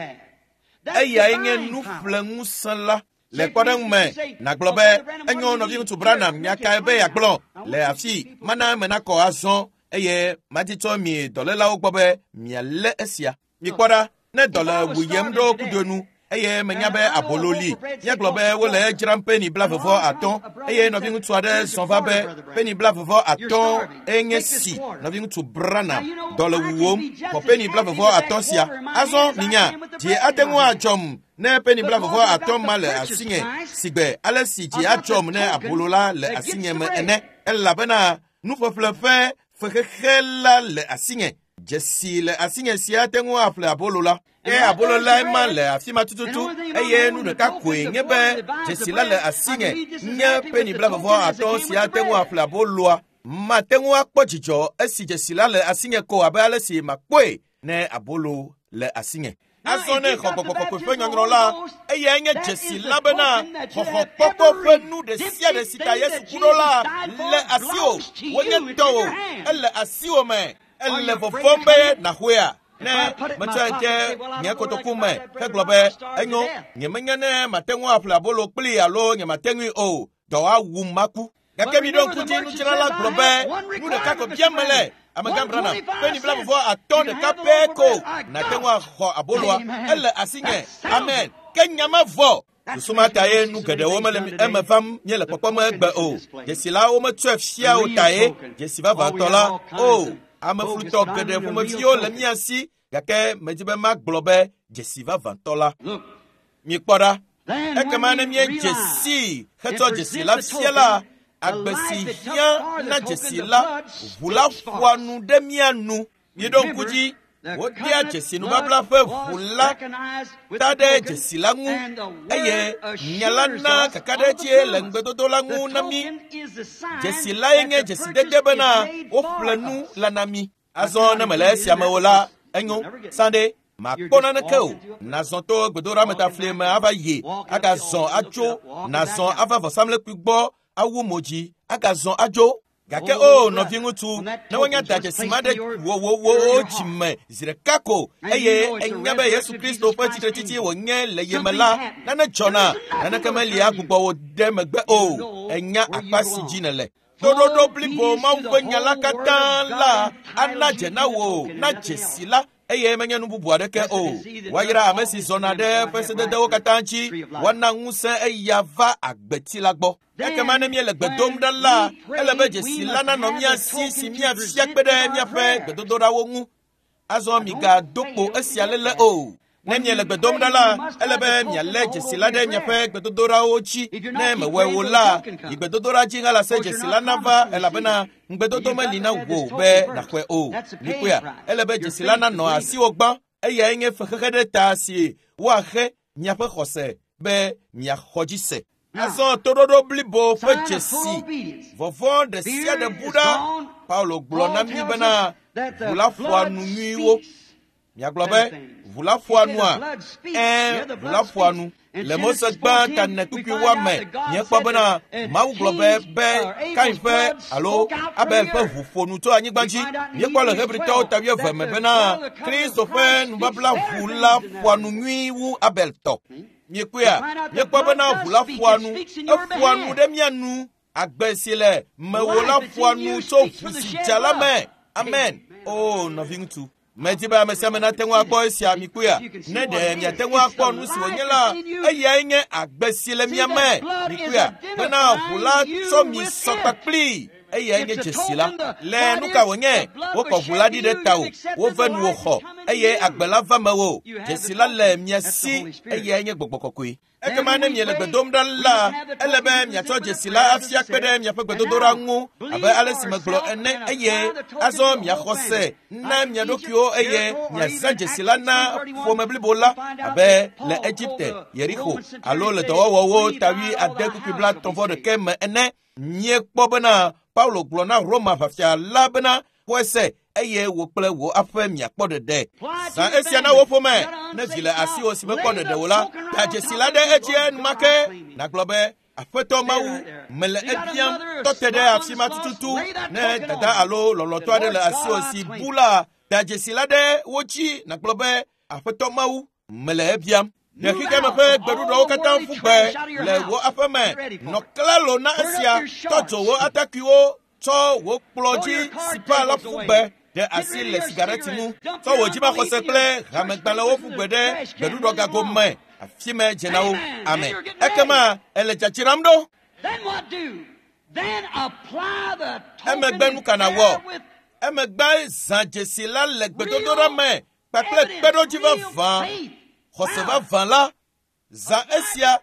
Eyae nye nuƒleŋusẽ la. Le kpɔɖeŋu me, nàgblɔ be enyo nɔviŋutsu Branham nya kae be yeagblɔ le afi mana eme nakɔ azɔ eye madi tsɔ mi dɔlélawo gbɔ be mialé esia. Mikpɔ ɖa, ne dɔ le wuyem ɖo kudo nu eye menya be abolo li, míagblɔ be wole edzram peni blavevɔ atɔ̃ eye nɔviŋutsu aɖe zɔ va be peni blavevɔ atɔ̃ enye si nɔviŋutsu Branham dɔ le wuwom xɔ peni blavevɔ atɔ̃ sia. Azɔ minya, dzi ate ŋu adzɔm ne peni blavevɔ atɔ̃ ma le asinye sigbe ale si dzi adzɔm ne abolo la le asinye me ene elabena nuƒeƒle ƒe fexexe la le asinye. Dzesi le asinye sia ate ŋu aƒle abolo la. Ke abolo lae ma le afi ma tututu eye nu ɖeka koe nye be dzesi la le asinye nye peni blavevɔ atɔ̃ sia ate ŋu aƒle aboloa. Mate ŋu akpɔ dzidzɔ esi dzesi la le asinye ko abe ale si makpɔe ne abolo le asinye. Azɔ ne xɔ gbɔgbɔ kɔkɔe ƒe nyɔnyrɔ la, eyae nye dzesi la bena xɔxɔkpɔkpɔ ƒe nu ɖe sia ɖe si ta Yesu ku ɖo la le asiwò, wonye tɔwò, ele asiwò me. Ele vɔvɔ̃m be nàxɔea? Ne metsɔe de nye kotoku me hegblɔ be enyo, nyemenya ne mate ŋu aƒle abolo kplii alo nyemate ŋui o, dɔ awum maku. Gake miɖo ŋku dzi nudzrala gblɔ be nu ɖeka ko biam mele amegã Branham peni blavevɔ atɔ̃ ɖeka pɛ ko nàte ŋu axɔ aboloa. Ele asinye. Amen. Ke nya ma vɔ. Susu ma ta ye nu geɖewo mele eme vam míele kpɔkpɔm egbe o. Dzesi la wometsɔe fia o ta ye dzesi vavãtɔ la o. Ameflutɔ geɖe ƒomeviwo le mía si gake medzi be magblɔ be dzesi vavãtɔ la. Mikpɔ ɖa. Ekema ne míedze sii hetsɔ dzesi la fia la, agbe si hiã na dzesi la, ʋu la ƒoa nu ɖe mía nu. Miɖo ŋku dzi, wodea dzesi nubabla ƒe ʋu la ta ɖe dzesi la ŋu eye nya la na kakaɖedzi le ŋugbedodo la ŋu na mí. Dzesi lae nye dzesidede bena woƒle nu la na mí. Azɔ ne mele esia me o la, enyo sãde makpɔ naneke o. Nazɔ to gbedoɖametafli me ava yi, agazɔ atso, nazɔ ava vɔsamlekpui gbɔ awu mo dzi, agazɔ adzo. Gake o nɔviŋutsu, ne wonya da dzesi ma ɖe wowowo dzime zi ɖeka ko eye enya be Yesu Kristo ƒe tsitretsitsi wònye le ye me la, nane dzɔna, naneke meli agbugbɔ wò ɖe megbe o. Enya akpa si dzi nèle. Toɖoɖo blibo Mawu ƒe nya la katã la ana dze na wò na dzesi la eye menye nu bubu aɖeke o. Woayra ame si zɔna ɖe eƒe sededewo katã dzi, woana ŋusẽ eya va agbeti la gbɔ. Ekema ne míele gbe dom ɖa la, ele be dzesi la nanɔ mía si si míafia kpe ɖe míaƒe gbedodoɖawo ŋu. Azɔ migado kpo esia léle o. Ne miele gbe dom ɖa la, ele be mialé dzesi la ɖe miaƒe gbedodoɖawo dzi. Ne mewɔe o la, yi gbedodoɖa dzi halase dzesi la nava elabena ŋugbedodo meli na wò be nàxɔe o. Mikpɔea, ele be dzesi la nanɔ asiwò gbã. Eyae nye fexexe ɖe ta si woaxe miaƒe xɔse be miaxɔ dzi se. Azɔ toɖoɖo blibo ƒe dzesi, vɔvɔ̃ ɖe sia ɖe bu ɖa. Paulo gblɔ na mí bena ʋu la ƒoa nu nyuiwo. Miagblɔ be ʋu la ƒoa nua? Ɛ̃, ʋu la ƒoa nu. Le Mose gbã ta ne kpukpui woame, míekpɔ bena Mawu gblɔ be be Kain ƒe alo Abel ƒe ʋu ƒo nu tso anyigba dzi. Míekpɔ le Hebritɔwo ta wuieve me bena Kristo ƒe nubabla ʋu la ƒoa nu nyui wu Abel tɔ. Miekpɔea? Míekpɔ bena ʋu la ƒoa nu. Eƒoa nu ɖe mía nu. Agbe si le mewò la ƒoa nu tso ʋu si dza la me. Amen. O nɔviŋutsu. Medi be ame sia ame nate ŋu akpɔ esia mikpɔea. Ne ɖe miate ŋu akpɔ nu si wònye la, eyae nye agbe si le mia me. Mikpɔea bena ʋu la tsɔ mi sɔ kpakpli. Eyae nye dzesi la. Le nu ka wònye? Wokɔ ʋu la ɖi ɖe tawò, wove nu wòxɔ eye agbe la va mewò. Dzesi la le mia si, eyae nye gbɔgbɔ kɔkɔe. Ekema ne miele gbe dom ɖa la, ele be miatsɔ dzesi la afia kpe ɖe miaƒe gbedodoɖa ŋu abe ale si megblɔ ene eye azɔ miaxɔ se na mia ɖokuiwo eye miazã dzesi la na ƒome blibo la abe le Egipte, Yeriko alo le dɔwɔwɔwo ta wui ade kpukpui blaetɔ̃ vɔ ɖeke me ene. Míekpɔ bena Paulo gblɔ na Roma ʋafia la bena xɔe se eye wò kple wò aƒe miakpɔ ɖeɖe. Zã esia na wò ƒome. Ne vi le asiwò si mekpɔ ɖeɖe o la, da dzesi la ɖe edzi enumake. Nàgblɔ be, Aƒetɔ Mawu, mele ebiam, tɔ te ɖe afi ma tututu. Ne dada alo lɔlɔ̃tɔ aɖe le asiwò si bu la, da dzesi la ɖe wo dzi. Nàgblɔ be, Aƒetɔ Mawu, mele ebiam. Ɖe xexeame ƒe gbeɖuɖɔwo katã ƒu gbe le wò aƒe me. Nɔ klalo na esia. Tɔ dzo wò atakuiwo, tsɔ wò kplɔ dzi sipa la ƒu gbe. Ɖe asi le sigareti ŋu. Tsɔ wò dzimaxɔse kple hamegbalẽwo ƒu gbe ɖe gbeɖuɖɔgago me. Afi me dze na wo. Amen. Ekema ele dzadzram ɖo. Emegbe nu ka nàwɔ? Emegbe zã dzesi la le gbedodoɖa me kpakple kpeɖodzi vavã. Xɔse vavã la, zã esia,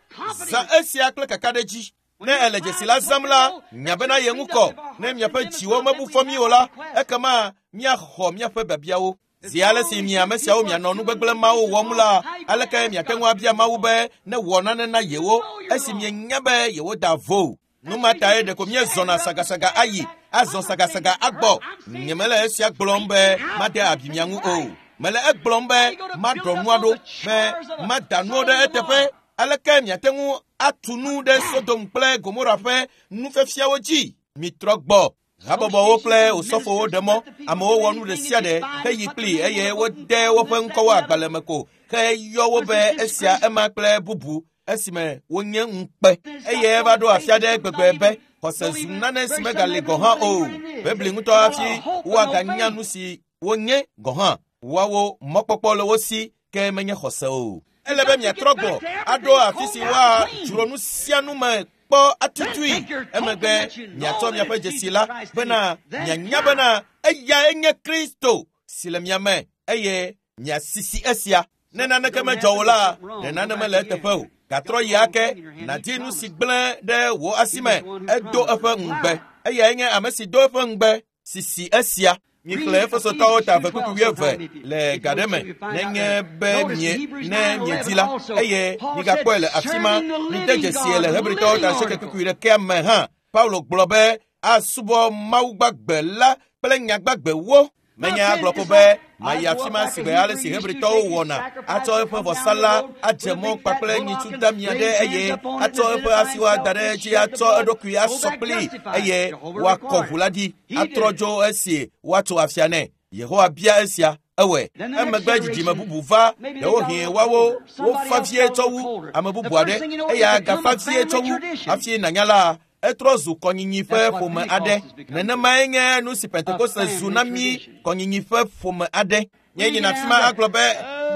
zã esia kple kakaɖedzi. Ne ele dzesi la zãm la, nya bena ye ŋu kɔ. Ne miaƒe dziwo mebu fɔ mi o la, ekema miaxɔ miaƒe biabiawo. Zi ale si mi ame siawo mianɔ nu gbegblẽ mawo wɔm la, aleke miate ŋu abia Mawu be ne wɔ nane na yewo esi mienya be yewoda vo? Nu ma tae ɖeko míezɔna sagasaga ayi, azɔ sagasaga agbɔ. Nyemele esia gblɔm be made abi mia ŋu o. Mele egblɔm be maɖɔ nua ɖo, be mada nuwo ɖe eteƒe. Aleke miate ŋu atu nu ɖe Sodom kple Gomora ƒe nufiafiawo dzi? Mitrɔ gbɔ. Habɔbɔwo kple osɔfowo ɖe mɔ amewo wɔ nu ɖe sia ɖe heyi kpli eye wode woƒe ŋkɔwo agbalẽ me ko heyɔ wo be esia ema kple bubu esime wonye ŋukpe. Eye eva ɖo afi aɖe gbegbe be xɔse zu nane si megali gɔ̃ hã o. Bebli ŋutɔ hafi woaganya nu si wonye gɔ̃ hã. Woawo mɔkpɔkpɔ le wo si ke menye xɔse o. Ele be miatrɔ gbɔ aɖo afi si woadzro nu sia nu me kpɔ atutui. Emegbe miatsɔ miaƒe dzesi la bena mianya bena eyae nye Kristo si le mia me eye miasisi esia. Ne naneke medzɔ o la, ɖe nane mele eteƒe o. Gatrɔ yi ake nàdi nu si gblẽ ɖe wò asi me. Edo eƒe ŋugbe. Eyae nye ame si do eƒe ŋugbe sisi esia. Mixlẽ Efesotɔwo ta eve kpukpui wuieve le ga ɖe me nenye be mie ne miedi la eye migakpɔe le afi ma. Mide dzesie le Hebritɔwo ta asieke kpukpui ɖekea me hã. Paulo gblɔ be asubɔ Mawu gbagbe la kple nya gbagbewo. Menye agblɔ ko be mayi afi ma si gbe ale si Hebritɔwo wɔna, atsɔ eƒe vɔsa la adze mɔ kpakple nyitsu damia ɖe eye atsɔ eƒe asiwo ada ɖe edzi atsɔ eɖokui asɔ kpli eye woakɔ ʋu la ɖi atrɔ dzo esi woatso afia nɛ. Yehowa bia esia ewɔe. Emegbe dzidzime bubu va, ɖewohĩ woawo wofa vie tsɔ wu ame bubu aɖe eya gafa vie tsɔ wu hafi nànya la etrɔ zu kɔnyinyi ƒe ƒome aɖe. Nenemae nye nu si Pentekoste zu na mí, kɔnyinyi ƒe ƒome aɖe. Nye yina afi ma agblɔ be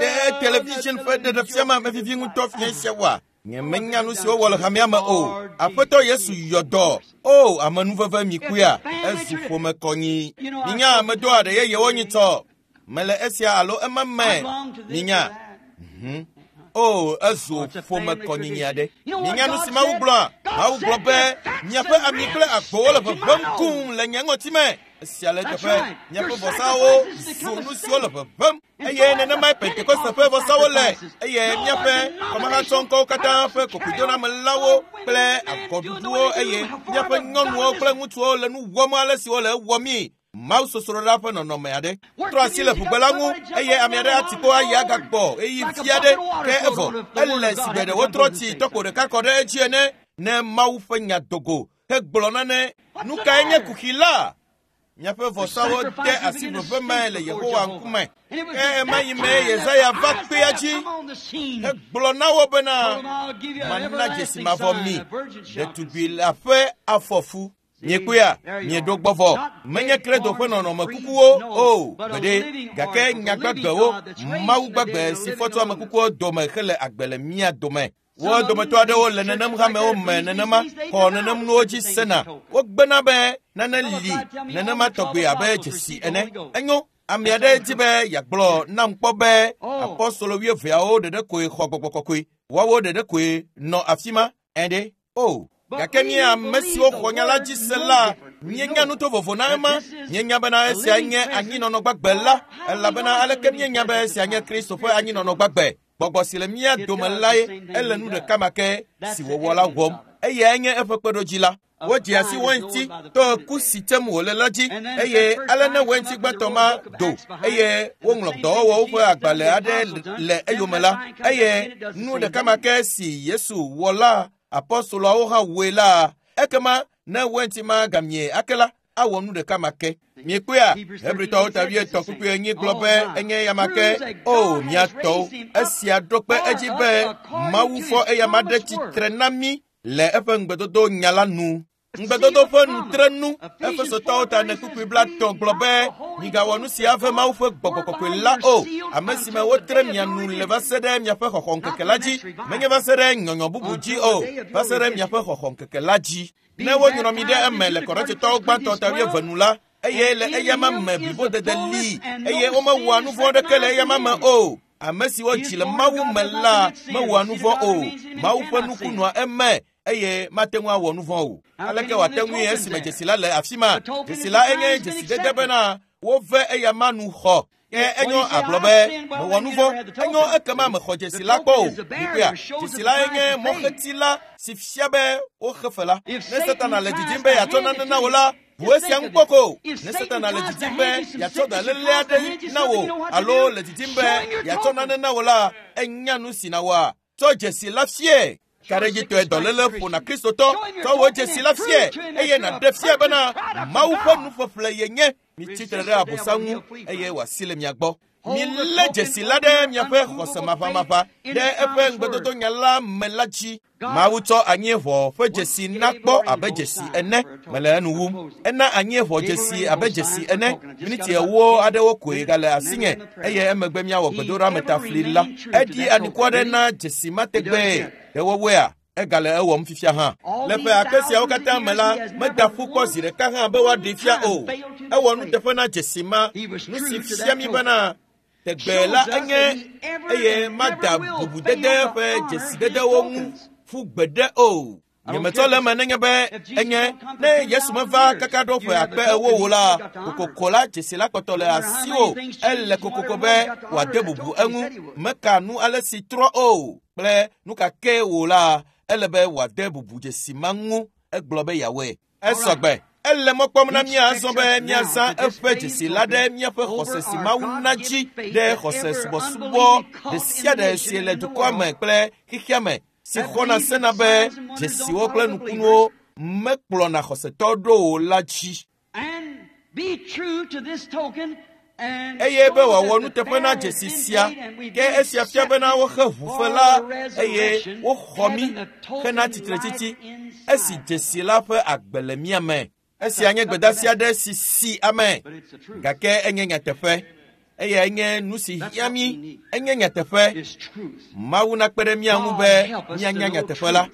ɖe television ƒe ɖeɖefia ma mevivi ŋutɔ fia sia oa? Nyemenya nu si wowɔ le hamea me o. Aƒetɔ Yesu yɔ dɔ. O amenuveve mi kuya, ezu ƒome kɔnyi. Minya ame do aɖe yeyewo nyitsɔ. Mele esia alo ema me. Minya. Mhm. O, ezu ƒome kɔnyinyi aɖe. Minya nu si Mawu gblɔa? Mawu gblɔ be miaƒe ami kple agbowo le ʋeʋẽm kum le nye ŋɔti me. Esia le eteƒe. Miaƒe vɔsawo zu nu siwo le ʋeʋẽm. Eye nenemae Pentekoste ƒe vɔsawo le. Eye míaƒe kɔmahatsɔŋkɔwo katã ƒe kokoedonamelawo kple agɔɖuɖuwo eye míaƒe nyɔnuwo kple ŋutsuwo le nu wɔm ale si wole ewɔmii. Mawu sosroɖa ƒe nɔnɔme aɖe. Trɔ asi le ʋugbe la ŋu eye ame aɖe ati kpo ayi agakpɔ ɣeyiɣi vi aɖe ke evɔ ele si gbe ɖe wotrɔ tsi tɔkpo ɖeka kɔ ɖe edzi ene ne Mawu ƒe nya dogo hegblɔ nane. Nu kae nye kuxi la? Miaƒe vɔsawo de asi veve me le Yehowa ŋkume. Ke ɣemaɣi me Yesaya va kpea dzi hegblɔ na wo bena mana dzesi mavɔ mi ɖetugbi la ƒe afɔfu. Miekpɔea, mieɖo gbɔ vɔ. Menye Credo ƒe nɔnɔme kukuwo o gbeɖe, gake nyagbagbewo, Mawu gbagbe si fɔ tso ame kukuwo dome hele agbe le mía dome. Wo dometɔ aɖewo le nenem hamewo me nenema, xɔ nenem nuwo dzi sena. Wogbena be nane li nenema tɔgbe abe dzesi ene. Enyo, ame aɖe di be yeagblɔ nam kpɔ be apɔstolo wuieveawo ɖeɖe koe xɔ gbɔgbɔ kɔkɔe. Woawo ɖeɖe koe nɔ afi ma. Ɛɖe o. Gake mí ame siwo xɔ nya la dzi se la, míenya nu to vovo na ema. Míenya bena esia nye anyinɔnɔ gbagbe la, elabena aleke míenya be esia nye Kristo ƒe anyinɔnɔ gbagbe. Gbɔgbɔ si le mía dome lae ele nu ɖeka ma ke si wòwɔ la wɔm. Eyae nye eƒe kpeɖodzi la. Wodze asi wainti to ku si tsem wòle la dzi eye ale ne wainti gbãtɔ ma do eye woŋlɔ dɔwɔwɔwo ƒe agbalẽ aɖe le eyome la eye nu ɖeka ma ke si Yesu wɔ la apɔstoloawo hã wɔe la ekema ne wainti ma gamie ake la awɔ nu ɖeka ma ke. Miekpɔea, Hebritɔwo ta wuietɔ̃ kpukpui enyi gblɔ be enye ya ma ke. O mía tɔwo, esia ɖo kpe edzi be Mawu fɔ eyama ɖe tsitre na mí le eƒe ŋugbedodo nya la nu. Ŋugbedodo ƒe nutrenu. Efesotɔwo ta ene kpukpui blaetɔ̃ gblɔ be migawɔ nu sia ave Mawu ƒe gbɔgbɔ kɔkɔe la o, ame si me wotre mia nu le va se ɖe miaƒe xɔxɔŋkeke la dzi, menye va se ɖe nyɔnyɔ bubu dzi o, va se ɖe miaƒe xɔxɔŋkeke la dzi. Ne wonyrɔ mi ɖe eme le Korintotɔwo gbãtɔ ta wuieve nu la, eye le eyama me blibodede li, eye womewɔa nu vɔ̃ aɖeke le eyama me o. Ame siwo dzi le Mawu me la mewɔa nu vɔ̃ o. Mawu ƒe nuku nɔa eme eye mate ŋu awɔ nu vɔ̃ o. Aleke wòate ŋui esime dzesi la le afi ma? Dzesi la enye dzesidede bena wove eyama nu xɔ. Ke enyo agblɔ be mewɔ nu vɔ̃. Enyo ekema mexɔ dzesi la kpɔ o. Mikpɔea, dzesi la enye mɔxeti la si fia be woxe fe la. Ne Satana le didim be yeatsɔ nane na wò la, bu esia ŋu kpɔ ko. Ne Satana le didim be yeatsɔ dɔléle aɖe na wò alo le didim be yeatsɔ nane na wò la, enya nu si nàwɔa. Tsɔ dzesi la fie. Kaɖedzitɔe dɔléle ƒona Kristotɔ. Tsɔ wò dzesi la fie eye nàɖe fia bena Mawu ƒe nuƒeƒle yenye. Mitsi tre ɖe Abosam ŋu eye wòasi le mia gbɔ. Milé dzesi la ɖe miaƒe xɔse maʋamaʋa ɖe eƒe ŋugbedodo nya la me la dzi. Mawu tsɔ anyieʋɔ ƒe dzesi na kpɔ abe dzesi ene. Mele enu wum. Ena anyieʋɔ dzesi abe dzesi ene. Miniti ewo aɖewo koe gale asinye eye emegbe míawɔ gbedoɖametafli la. Eɖi anikua ɖe na dzesi ma tegbee. Ɖe wɔwɔea? Egale ewɔm fifia hã. Le ƒe akpe siawo katã me la, meda ƒu kpɔ zi ɖeka hã be woaɖee fia o. Ewɔ nuteƒe na dzesi ma. Nu si fia mí bena tegbe la enye eye mada bubudede ƒe dzesidedewo ŋu ƒu gbeɖe o. Nyemetsɔ le eme nenye be enye ne Yesu meva kaka ɖo ƒe akpe ewo wo la, kokoko la dzesi la kpɔtɔ le asiwò. Ele kokoko be wòade bubu eŋu. Meka nu ale si trɔ o kple nu ka ke wò la, ele be wòade bubu dzesi ma ŋu. Egblɔ be yeawɔe. Esɔgbe. Ele mɔ kpɔm na mía azɔ be míazã eƒe dzesi la ɖe míaƒe xɔse si Mawu na dzi ɖe xɔse subɔsubɔ ɖe sia ɖe si le dukɔa me kple xexea me si xɔna sena be dzesiwo kple nukunuwo mekplɔna xɔsetɔ ɖo o la dzi. Eye be wòawɔ nuteƒe na dzesi sia, ke esia fia bena woxe ʋufe la eye woxɔ mí hena tsitretsitsi esi dzesi la ƒe agbe le mía me. Esia nye gbedeasi aɖe si si ame, gake enye nyateƒe. Eyae nye nu si hiã mí. Enye nyateƒe. Mawu nakpe ɖe mía ŋu be míanya nyateƒe la.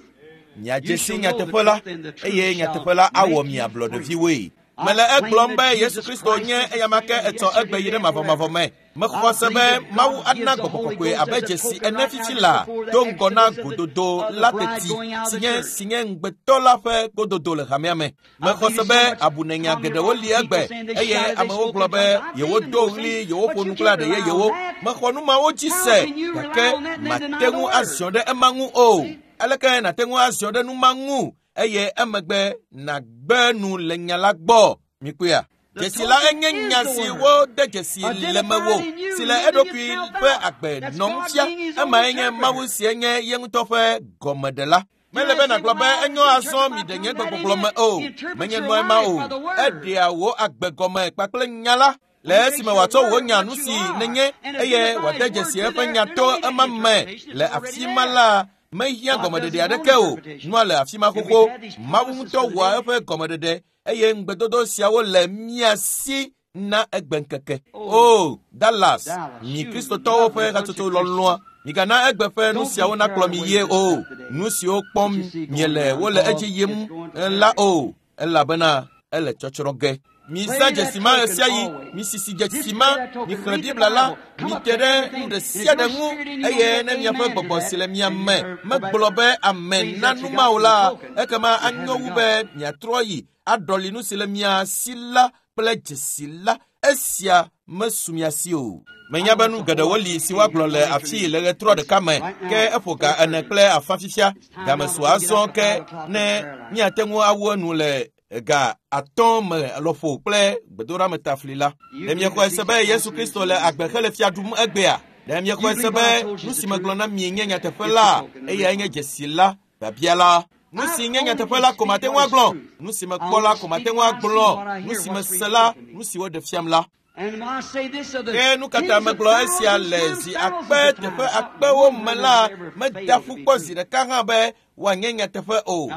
Miadze si nyateƒe la, eye nyateƒe la awɔ mi ablɔɖeviwoe. Mele egblɔm be Yesu Kristo nye eyama ke etsɔ egbe yi ɖe mavɔmavɔ me. Mexɔ se be Mawu ana gbɔgbɔ kɔkɔe abe dzesi ene fifi la do ŋgɔ na gododo la teti si nye si nye ŋugbetɔ la ƒe gododo le hamea me. Mexɔ se be abunenya geɖewo li egbe eye amewo gblɔ be yewodo ɣli yewoƒo nu kple aɖe yeyewo. Mexɔ nu mawo dzi se gake mate ŋu aziɔ ɖe ema ŋu o. Aleke nàte ŋu aziɔ ɖe nu ma ŋu eye emegbe nàgbe nu le nya la gbɔ? Mikpɔea? Dzesi la enye nya si wode dzesi le mewò si le eɖokui ƒe agbe nɔm fia. Emae nye Mawu si nye ye ŋutɔ ƒe gɔmeɖela. Mele be nàgblɔ be enyo azɔ mi ɖe nye gbegbɔgblɔ me o. Menye nua ma o. Eɖea wò agbe gɔme kpakple nya la. Le esime wòatsɔ wò nya nu si nenye eye wòade dzesi eƒe nya to ema me le afi ma la, mehiã gɔmeɖeɖe aɖeke o. Nua le afi ma xoxo. Mawu ŋutɔ wɔa eƒe gɔmeɖeɖe eye ŋugbedodo siawo le mía si na egbeŋkeke. O Dallas, mi Kristotɔwo ƒe hatsotso lɔlɔ̃a, migana egbe ƒe nu siawo nakplɔ mi yie o. Nu siwo kpɔm miele wole edzi yim la o, elabena ele tsɔtsrɔ̃ ge. Mizã dzesi ma ɣe sia ɣi, misisi dzesi ma, mixlẽ Biblia la, mite ɖe nu ɖe sia ɖe ŋu eye ne miaƒe gbɔgbɔ si le mia me megblɔ be amen na nu ma o la, ekema anyo wu be miatrɔ yi aɖɔli nu si le mia si la kple dzesi la. Esia mesu mia si o. Menya be nu geɖewo li si woagblɔ le afii le ɣetrɔ ɖeka me, ke eƒo ga ene kple afã fifia. Game su azɔ ke ne míate ŋu awu enu le ga atɔ̃ me lɔƒo kple gbedoɖametafli la. Ɖe miexɔe se be Yesu Kristo le agbe hele fia ɖum egbea? Ɖe miexɔe se be nu si megblɔ na mi nye nyateƒe la, eyae nye dzesi la, biabia la? Nu si nye nyateƒe la ko mate ŋu agblɔ, nu si mekpɔ la ko mate ŋu agblɔ, nu si mese la, nu si woɖe fiam la. Ke nu katã megblɔ esia le zi akpe teƒe akpewo me la, meda ƒu kpɔ zi ɖeka hã be wòanye nyateƒe o.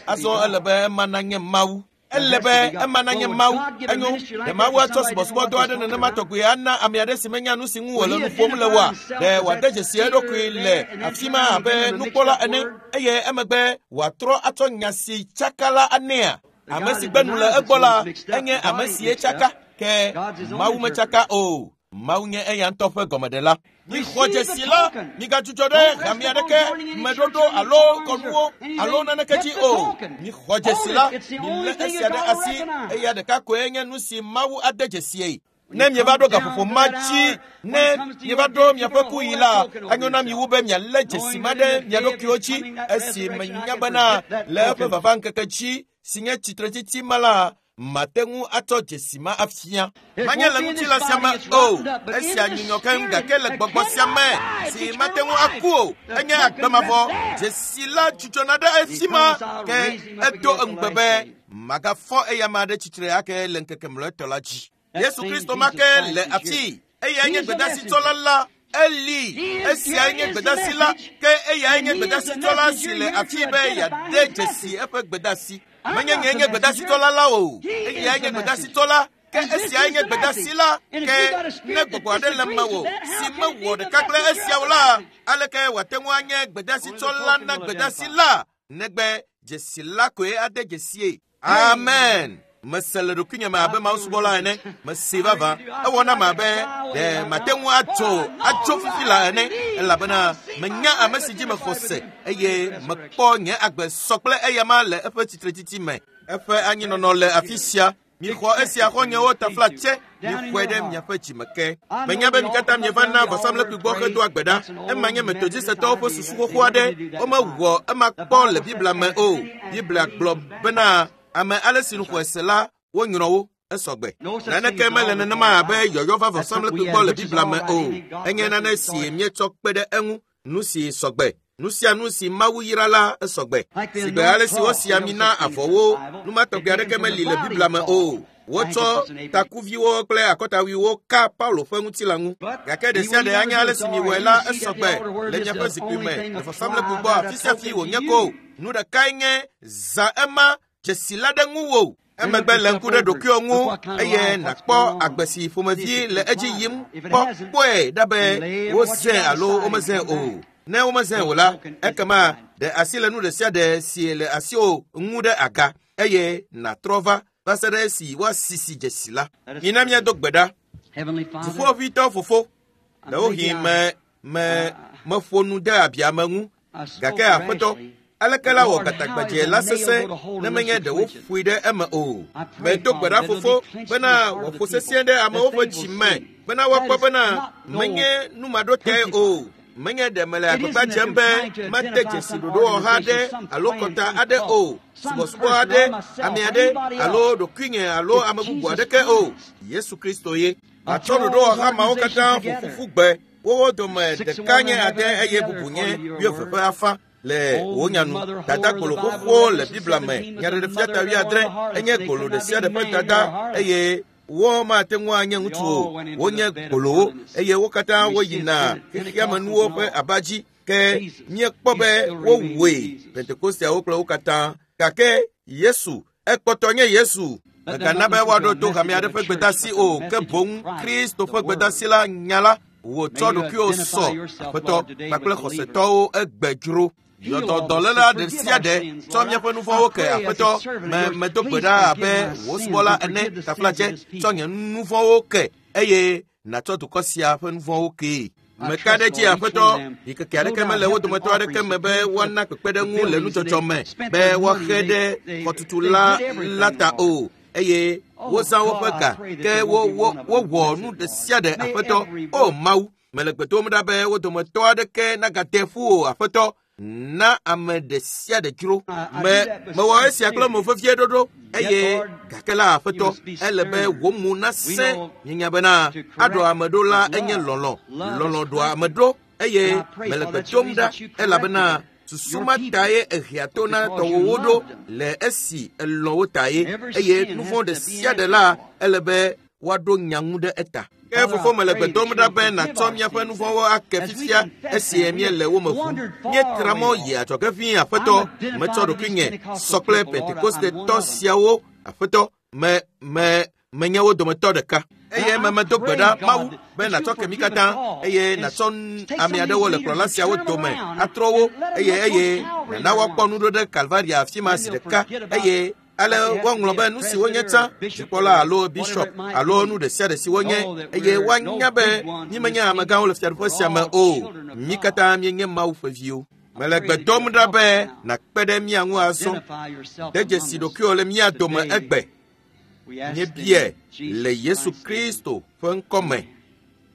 Azɔ ele be ema nanye Mawu. Ele be ema nanye Mawu. Enyo, ɖe Mawu atsɔ subɔsubɔdɔ aɖe nenema tɔgbi ana ame aɖe si menya nu si ŋu wòle nu ƒom le oa? Ɖe wòade dzesi eɖokui le afi ma abe nukpɔla ene eye emegbe wòatrɔ atsɔ nya si tsaka la anɛa? Ame si gbe nu le egbɔ la, enye ame si tsaka. Ke Mawu metsaka o. Mawu nye eya ŋutɔ ƒe gɔmeɖela. Mixɔ dzesi la, migadzudzɔ ɖe hame aɖeke meɖoɖo alo kɔnuwo alo naneke dzi o. Mixɔ dzesi la, milé esia ɖe asi, eya ɖeka koe nye nu si Mawu ade dzesie. Ne mieva ɖo gaƒoƒo ma dzi, ne mieva ɖo miaƒe kuɣi la, anyo na mi wu be mialé dzesi ma ɖe mia ɖokuiwo dzi, esi menya bena le eƒe vava ŋkeke dzi si nye tsitretsitsi ma la, mate ŋu atsɔ dzesi ma afia. Manye le ŋutilã sia me o, esia nyunyɔ keŋ gake le gbɔgbɔ sia me si mate ŋu aku o, enye agbe mavɔ. Dzesi la dzudzɔna ɖe efi ma ke edo ŋugbe be magafɔ eya ma ɖe tsitre ake le ŋkeke mlɔetɔ la dzi. Yesu Kristo ma ke le afii, eyae nye gbedasitsɔla la. Eli, esiae nye gbedasi la, ke eyae nye gbedasitsɔla si le afii be yeade dzesi eƒe gbedasi. Menye nye nye gbedasitsɔla la o, eyae nye gbedasitsɔla, ke esiae nye gbedasi la. Ke ne gbɔgbɔ aɖe le mewò si mewɔ ɖeka kple esiawo la, aleke wòate ŋu anye gbedasitsɔla na gbedasi la, negbe dzesi la koe ade dzesie? Amen. Mese le ɖokuinye me abe Mawu subɔla ene. Mese vavã. Ewɔ nam abe ɖe mate ŋu atso atso fifi la ene, elabena menya ame si dzi mexɔ se eye mekpɔ nye agbe sɔ kple eyama le eƒe tsitretsitsi me. Eƒe anyinɔnɔ le afi sia. Mixɔ esia xɔnyewo taflatse, mixɔe ɖe miaƒe dzime ke. Menya be mi katã mieva na vɔsamlekpui gbɔ hedo agbe ɖa. Ema nye Metodistɔwo ƒe susu xoxo aɖe. Womewɔ ema kpɔ le Biblia me o. Biblia gblɔ bena ame ale si nu xɔe se la, wonyrɔ wo esɔgbe. Naneke mele nenema abe yɔyɔ va vɔsamlekpui gbɔ le Biblia me o. Enye nane si míetsɔ kpe ɖe eŋu, nu si sɔgbe. Nu sia nu si Mawu yra la esɔgbe. Sigbe ale si wosi ami na avɔwo, nu ma tɔgbi aɖeke meli le Biblia me o. Wotsɔ takuviwo kple akɔtawuiwo ka Paulo ƒe ŋutilã ŋu. Gake ɖe sia ɖe anye ale si miwɔe la esɔgbe le miaƒe zikpui me le vɔsamlekpui gbɔ afi sia afi wònye ko. Nu ɖekae nye zã ema dzesi la ɖe ŋuwò. Emegbe le ŋku ɖe ɖokuiwò ŋu eye nàkpɔ agbe si ƒomevi le edzi yim kpɔ. Kpɔe ɖa be wozãe alo womezãe o. Ne womezãe o la, ekema ɖe asi le nu ɖe sia ɖe si le asiwò ŋu ɖe aga eye nàtrɔ va va se ɖe esi woasisi dzesi la. Mina míado gbe ɖa. Dziƒoʋĩtɔ Fofo, ɖewohĩ me me meƒo nu de abia me ŋu, gake Aƒetɔ, aleke la wɔ gatagbadze la sesẽ ne menye ɖe woƒoe ɖe eme o? Medo gbe ɖa Fofo bena wòaƒo sesĩe ɖe amewo ƒe dzi me bena woakpɔ bena menye nu maɖotae o, Menye ɖe mele agbagba dzem be mate dzesi ɖoɖowɔha aɖe alo kɔta aɖe o, subɔsubɔ aɖe, ame aɖe alo ɖokuinye alo ame bubu aɖeke o. Yesu Kristo ye. Matsɔ ɖoɖowɔha mawo katã ƒo ƒu gbe. Wowo dome ɖeka nye ade eye bubu nye wuieve ƒe afã le wò nyanu. Dada gbolo xoxowo le Biblia me. Nyaɖeɖefia ta wuiadre enye gbolo ɖe sia ɖe ƒe dada eye wo mate ŋu anye ŋutsu o. Wonye gbolowo eye wo katã woyina xexeamenuwo ƒe aba dzi. Ke míekpɔ be wowɔe Pentekosteawo kple wo katã. Gake Yesu ekpɔtɔ nye Yesu. Mègana be woaɖo to hame aɖe ƒe gbedasi o, ke boŋ Kristo ƒe gbedasi la nya la wòtsɔ ɖokuiwò sɔ Aƒetɔ kpakple xɔsetɔwo egbe dzro. Yɔdɔdɔléla ɖe sia ɖe tsɔ míaƒe nu vɔ̃wo ke Aƒetɔ. Me medo gbe ɖa abe wò subɔla ene taflatse tsɔ nye nu vɔ̃wo ke eye nàtsɔ dukɔ sia ƒe nu vɔ̃wo kee. Meka ɖe dzi Aƒetɔ, ɖikeke aɖeke mele wo dometɔ aɖeke me be woana kpekpeɖeŋu le nudzɔdzɔ me be woaxe ɖe xɔtutu la la ta o. Eye wozã woƒe ga ke wo wo wowɔ nu ɖe sia ɖe Aƒetɔ. O Mawu, mele gbe dom ɖa be wo dometɔ aɖeke nagate ƒu o Aƒetɔ. Na ame ɖe sia ɖe dzro. Me mewɔ esia kple mo vevie ɖoɖo eye gake la Aƒetɔ, ele be wò mo nasẽ. Míenya bena aɖɔ ame ɖo la enye lɔlɔ̃. Lɔlɔ̃ ɖoa ame ɖo eye mele gbe dom ɖa elabena susu ma tae ehea to na tɔwòwo ɖo le esi elɔ̃ wo tae eye nu vɔ̃ ɖe sia ɖe la ele be woaɖo nya ŋu ɖe eta. Ke fofo mele gbe dom ɖa be nàtsɔ míaƒe nu vɔ̃wo ake fifia esi míele wo me ʋum. Míetra mɔ yi adzɔge ʋĩi Aƒetɔ. Metsɔ ɖokuinye sɔ kple Pentekostetɔ siawo Aƒetɔ. Me me menye wo dometɔ ɖeka. Eye me medo gbe ɖa Mawu be nàtsɔ ke mí katã eye nàtsɔ ame aɖewo le kplɔla siawo dome atrɔ wo eye eye nàna woakpɔ nu ɖo ɖe Kalvaria afi ma zi ɖeka eye ale woaŋlɔ be nu si wonye tsã, dzikpɔla alo bishop alo nu ɖe sia ɖe si wonye eye woanya be mímenye amegãwo le fiaɖuƒe sia me o. Mí katã míenye Mawu ƒe viwo. Mele gbe dom ɖa be nàkpe ɖe mía ŋu azɔ. De dzesi ɖokuiwò le mía dome egbe. Míebia le Yesu Kristo ƒe ŋkɔ me.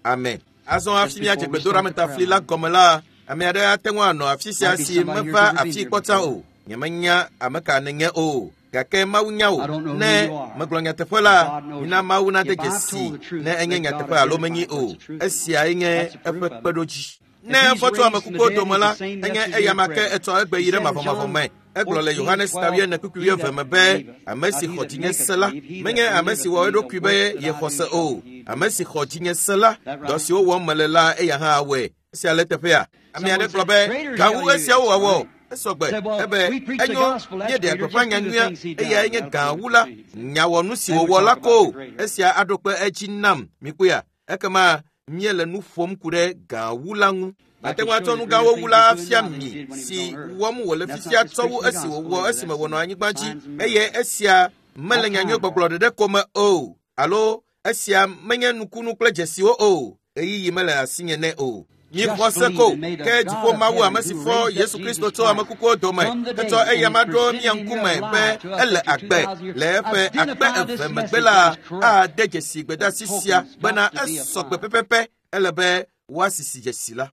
Amen. Azɔ hafi míadze gbedoɖametafli la gɔme la, ame aɖe ate ŋu anɔ afi sia si meva afi kpɔta o. Nyemenya ame ka nènye o. Gake Mawu nya wò. Ne megblɔ nyateƒe la, mina Mawu nade dzesi ne enye nyateƒe alo menyi o. Esiae nye eƒe kpeɖodzi. Ne efɔ tso ame kukuwo dome la, enye eyama ke etsɔ egbe yi ɖe mavɔmavɔ me. Egblɔ le Yohanes ta wuiene kpukpui wuieve me be ame si xɔ dzinye se la, menye ame si wɔ eɖokui be yexɔ se o. Ame si xɔ dzinye se la, dɔ siwo wɔm mele la, eya hã awɔe. Esia le teƒea. Ame aɖe gblɔ be gawu esiawo wɔwɔ. Esɔgbe ebe enyo míeɖea gbeƒã nyanyuia eyae nye gã wu la. Nya wɔ nu si wòwɔ la ko. Esia aɖo kpe edzi nam. Mikpɔea? Ekema míele nu ƒom ku ɖe gã wu la ŋu. Ate ŋu atsɔ nu gãwo wu la afia mi si wɔm wòle fifia tsɔ wu esi wòwɔ esime wònɔ anyigba dzi eye esia mele nyanyui gbɔgblɔ ɖeɖe ko me o alo esia menye nukunu kple dzesiwo o. Ɣeyiɣi mele asinye nɛ o. Mixɔ se ko ke dziƒo Mawu ame si fɔ Yesu Kristo tso ame kukuwo dome hetsɔ eyama ɖo mía ŋkume be ele agbe le eƒe akpe eve megbe la ade dzesi gbedasi sia bena esɔ gbe pɛpɛpɛ ele be woasisi dzesi la.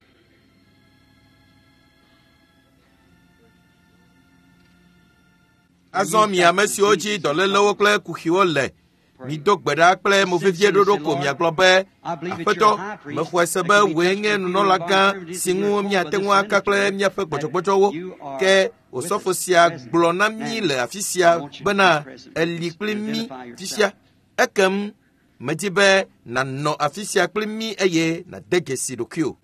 Azɔ mi ame siwo dzi dɔlélewo kple kuxiwo le, mido gbe ɖa kple mo vevie ɖoɖo ko miagblɔ be Aƒetɔ, mexɔe se be wòe nye nunɔlagã si ŋu míate ŋu aka kple míaƒe gbɔdzɔgbɔdzɔwo. Ke osɔfo sia gblɔ na mí le afi sia bena eli kpli mí fifia. Ekem medi be nànɔ afi sia kpli mí eye nàde dzesi ɖokuiwò.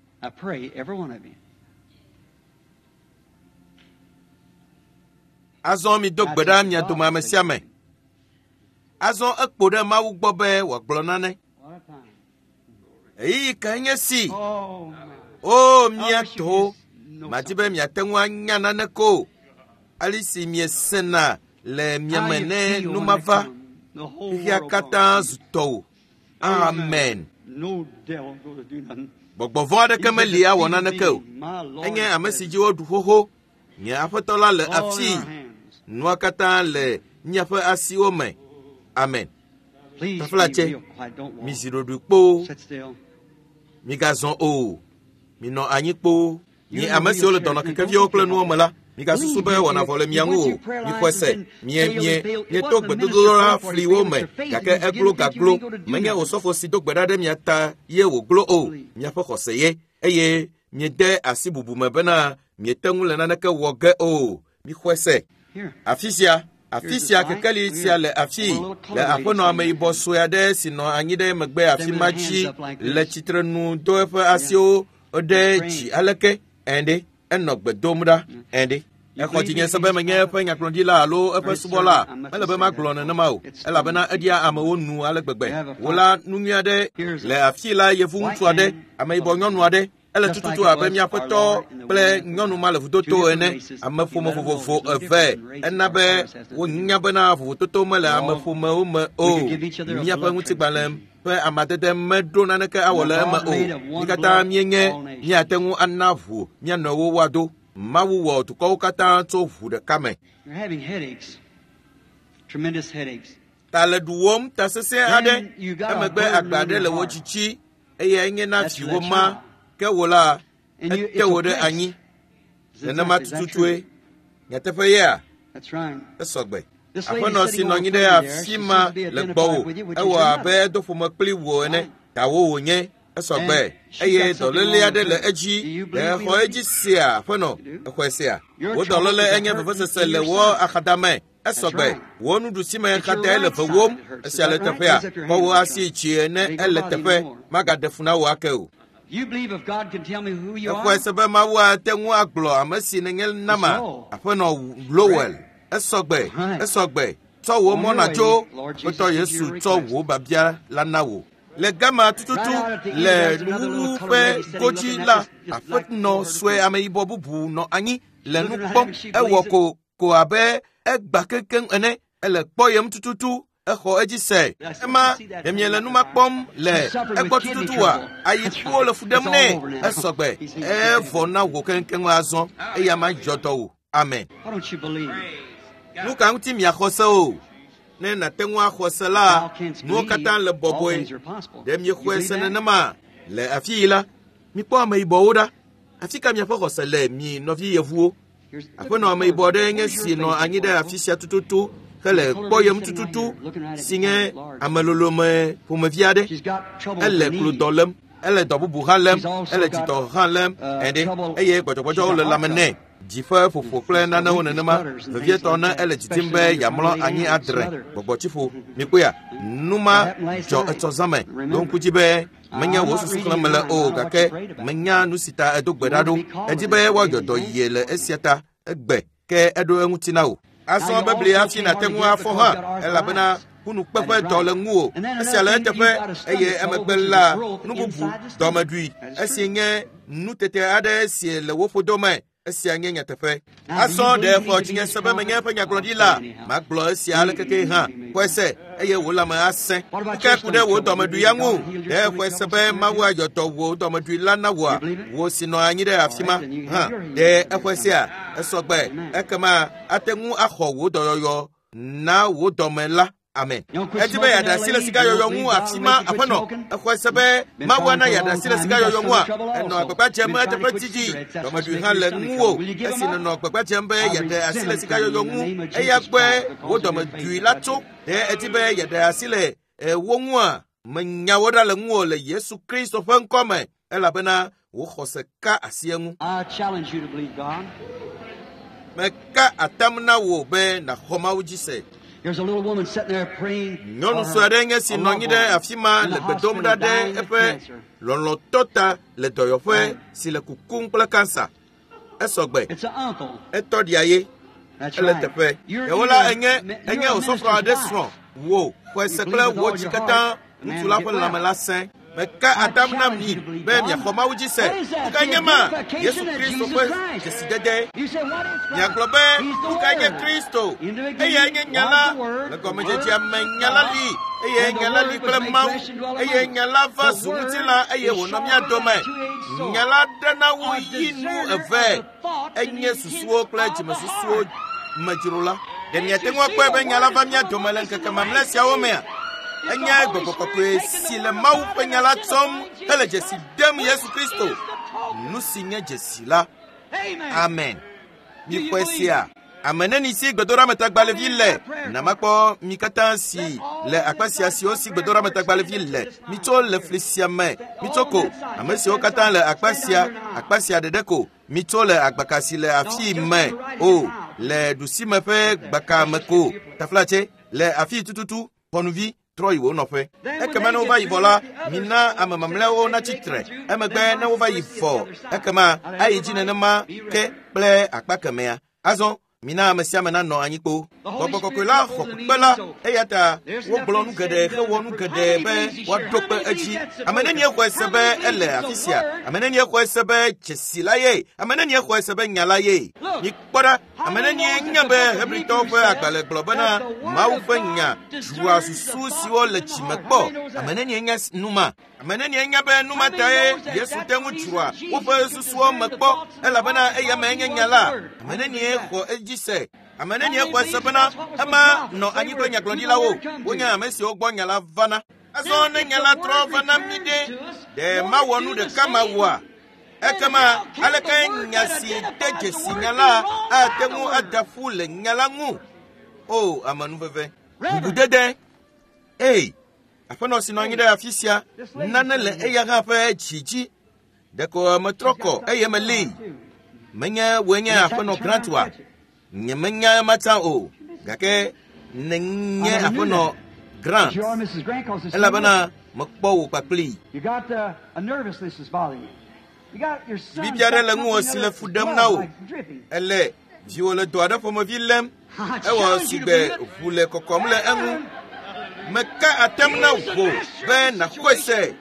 Azɔ mido gbe ɖa mia dome ame sia ame. Azɔ ekpo ɖe Mawu gbɔ be wòagblɔ nane. Ɣeyiɣi kae nye si? O mía tɔwo, madi be miate ŋu anya nane ko. Ale si miesena le miame ne nu mava, xexea katã zu tɔwò. Amen. Gbɔgbɔ vɔ̃ aɖeke meli awɔ naneke o. Enye ame si dzi woɖu xoxo. Nye Aƒetɔ la le afii. Nua katã le míaƒe asiwo me. Amen. Taflatse, mizi ɖoɖoe kpoo. Migazɔ o. Minɔ anyi kpoo. Mi ame siwo le dɔnɔkekeviwo kple nuwo me la, migasusu be wɔna vɔ le mia ŋu o. Mixɔe se, mie mie mieto gbedodoɖa fliwo me, gake eglo gaglo. Menye osɔfo si do gbe ɖa ɖe mia ta ye wòglo o. Miaƒe xɔse ye, eye miede asi bubu me bena miete ŋu le naneke wɔ ge o. Mixɔe se. Afi sia, afi sia kekeli sia le afii le aƒenɔ ameyibɔ sue aɖe si nɔ anyi ɖe megbe afi ma dzi le tsitrenu do eƒe asiwo ɖe dzi aleke ɛnɖe enɔ gbe dom ɖa ɛnɖe. Exɔ dzinye se be menye eƒe nyagblɔɖila alo eƒe subɔla. Mele be magblɔ nenema o, elabena eɖia amewo nu ale gbegbe. Wò la nu nyui aɖe le afii la yevu ŋutsu aɖe, ameyibɔ nyɔnu aɖe. Ele tututu abe míaƒe tɔ kple nyɔnu ma le vudoto ene. Ameƒome vovovo eve. Ena be wonya bena vovototo mele ameƒomewo me o. Míaƒe ŋutigbalẽ ƒe amadede meɖo naneke awɔ le eme o. Mí katã míenye míate ŋu ana ʋu mía nɔewo woado. Mawu wɔ dukɔwo katã tso ʋu ɖeka me. Ta le ɖuwom ta sesẽ aɖe. Emegbe agba aɖe le wò dzitsi eye enye na viwò ma. Ke wò la, ete wò ɖe anyi. Nenema tututue. Nyateƒe yea? Esɔgbe. Aƒenɔ si nɔ anyi ɖe afi ma le gbɔwò, ewɔ abe edo ƒome kpli wò ene. Tawo wònye. Esɔgbe. Eye dɔléle aɖe le edzi. Ɖe exɔ edzi sea, aƒenɔ? Exɔe sea? Wò dɔléle enye vevesese le wò axadame. Esɔgbe. Wò nuɖusime xadae le vewom. Esia le teƒea. Kɔ wò asi dzi ene ele teƒe. Magaɖe fu na wò ake o. Exɔe se be Mawu ate ŋu agblɔ ame si nènye nama, aƒenɔ Lowell. Esɔgbe, esɔgbe. Tsɔ wò mɔ nàtso. Aƒetɔ Yesu tsɔ wò babia la na wò. Le gama tututu le nuwuwu ƒe godzi la, aƒenɔ sue ameyibɔ bubu nɔ anyi le nu kpɔm. Ewɔ ko ko abe egba keŋkeŋ ene. Ele kpɔyem tututu. Exɔ edzi se. Ema ɖe miele nu ma kpɔm le egbɔ tututua? Ayikuwo le fu ɖem nɛ. Esɔgbe. Evɔ na wò keŋkeŋ azɔ eye ama dzɔ dɔ wò. Amen. Nu ka ŋuti miaxɔ se o? Ne nàte ŋu axɔ se la, nuwo katã le bɔbɔe. Ɖe miexɔe se nenema? Le afi yi la, mikpɔ ameyibɔwo ɖa. Afi ka miaƒe xɔse le mi nɔvi yevuwo? Aƒenɔ ameyibɔ aɖe nye si nɔ anyi ɖe afi sia tututu hele kpɔyem tututu si nye amelolome ƒomevi aɖe. Ele klodɔ lém, ele dɔ bubu hã lém, ele dzidɔ hã lém ɛɖe eye gbɔdzɔgbɔdzɔwo le lãme nɛ. Dzi ƒe ƒoƒo kple nanewo nenema, vevietɔ ne ele dzidzim be yeamlɔ anyi adre gbɔgbɔtsiƒo. Mikpɔea, nu ma dzɔ etsɔ zã me. Ɖo ŋku dzi be menye wò susu xlẽm mele o, gake menya nu si ta edo gbe ɖa ɖo. Edi be woayɔ dɔ yie le esia ta egbe ke eɖo eŋuti na wò. Azɔ bebli hafi nàte ŋu afɔ hã, elabena ƒunukpeƒe dɔ le ŋuwò. Esia le eteƒe eye emegbe la nu bubu dɔmeɖui. Esi nye nutete aɖe si le wò ƒodo me. Esia nye nyateƒe. Azɔ ɖe xɔ dzinye se be menye eƒe nyagblɔɖila. Magblɔ esia alekeke hã. Xɔe se eye wò lãme asẽ. Ke ku ɖe wò dɔmeɖui ya ŋu. Ɖe xɔe se be Mawu ayɔ dɔ wò dɔmeɖui la na wòa? Wò si nɔ anyi ɖe afi ma hã. Ɖe exɔe sea? Esɔgbe. Ekema ate ŋu axɔ wò dɔyɔyɔ na wò dɔme la. Amen. Edi be yeaɖe asi le sigayɔyɔ ŋu afi ma aƒenɔ. Exɔe se be Mawu ana yeaɖe asi le sigayɔyɔ ŋua? Enɔ agbagba dzem eteƒe didi. Dɔmeɖui hã le ŋuwò. Esi nènɔ agbagba dzem be yeaɖe asi le sigayɔyɔ ŋu, eya gbɔe wò dɔmeɖui la tso. Ɖe edi be yeaɖe asi le wo ŋua? Menya wo ɖa le ŋuwò le Yesu Kristo ƒe ŋkɔ me, elabena wò xɔse ka asi eŋu. Meka atam na wò be nàxɔ Mawu dzi se. Nyɔnu sue aɖe nye si nɔ anyi ɖe afi ma le gbe dom ɖa ɖe eƒe lɔlɔ̃tɔ ta le dɔyɔƒe si le kukum kple kansa. Esɔgbe. Etɔ ɖia ye. Ele teƒe. Ɖewo la enye enye osɔfo aɖe srɔ̃ wò xɔe se kple wò dzi katã ŋutsu la ƒe lãme la sẽ. Meka atam na mi be miaxɔ Mawu dzi se. Nu ka nye ma? Yesu Kristo ƒe dzesidede. Miagblɔ be nu ka nye Kristo? Eyae nye nya la. Le gɔmedzedzea me nya la li eye nya la li kple Mawu eye nya la va zu ŋutilã eye wònɔ mía dome. Nya la ɖena wu yi nu eve. Enye susuwo kple dzimesusuwo me dzro la. Ɖe miate ŋu akpɔe be nya la va mía dome le ŋkeke mamlɛ siawo mea? Enye Gbɔgbɔ Kɔkɔe si le Mawu ƒe nya la tsɔm hele dzesi dem Yesu Kristo. Nu si nye dzesi la. Amen. Mikpɔe sia. Ame neni si gbedoɖametagbalẽvi le? Namakpɔ mi katã si le akpa sia siwo si gbedoɖametagbalẽvi le. Mitso le fli sia me. Mitso ko. Ame siwo katã le akpa sia, akpa sia ɖeɖe ko. Mitso le agbaka si le afii me. O, le ɖusime ƒe gbaka me ko. Taflatse, le afii tututu, xɔnuvi, trɔ yi wo nɔƒe. Ekema ne wova yi vɔ la, mina ame mamlɛawo natsi tre. Emegbe ne wova yi vɔ, ekema ayi dzi nenema ke kple akpa kemɛa. Azɔ, mina ame sia ame nanɔ anyi kpo. Gbɔgbɔ Kɔkɔe la xɔ kpekpe la, eya ta wogblɔ nu geɖe hewɔ nu geɖe be woaɖo kpe edzi. Ame nenie xɔe se be ele afi sia? Ame nenie xɔe se be dzesi la ye? Ame nenie xɔe se be nya la ye? Mikpɔ ɖa, ame nenie nya be Hebritɔwo ƒe agbalẽ gblɔ bena Mawu ƒe nya dzroa susu siwo le dzime kpɔ. Ame nenie nya nu ma? Ame nenie nya be nu ma tae Yesu te ŋu dzroa woƒe susuwo me kpɔ, elabena eya mee nye nya la. Ame nenie xɔ edzi se? Ame nenie xɔe se bena ema nɔ anyi kple nyagblɔɖilawo? Wonye ame siwo gbɔ nya la vana. Azɔ ne nya la trɔ va na mí ɖe, ɖe mawɔ nu ɖeka mawɔa? Ekema aleke nya si de dzesi nya la ate ŋu ada ƒu le nya la ŋu? O, amenuveve. Bubudede. Ei, aƒenɔ si nɔ anyi ɖe afi sia, nane le eya hã ƒe dzi dzi. Ɖeko metrɔ kɔ eye melée. Menye wòe nye aƒenɔ Grant oa? Nye menya ema tsã o, gake nenye aƒenɔ Grant, elabena mekpɔ wò kpakplii. Bibi aɖe le ŋuwò si le fu ɖem na wò. Ele viwò le dɔ aɖe ƒomevi lém. Ewɔ sigbe ʋu le kɔkɔm le eŋu. Meka atem na wò be nàxɔe se.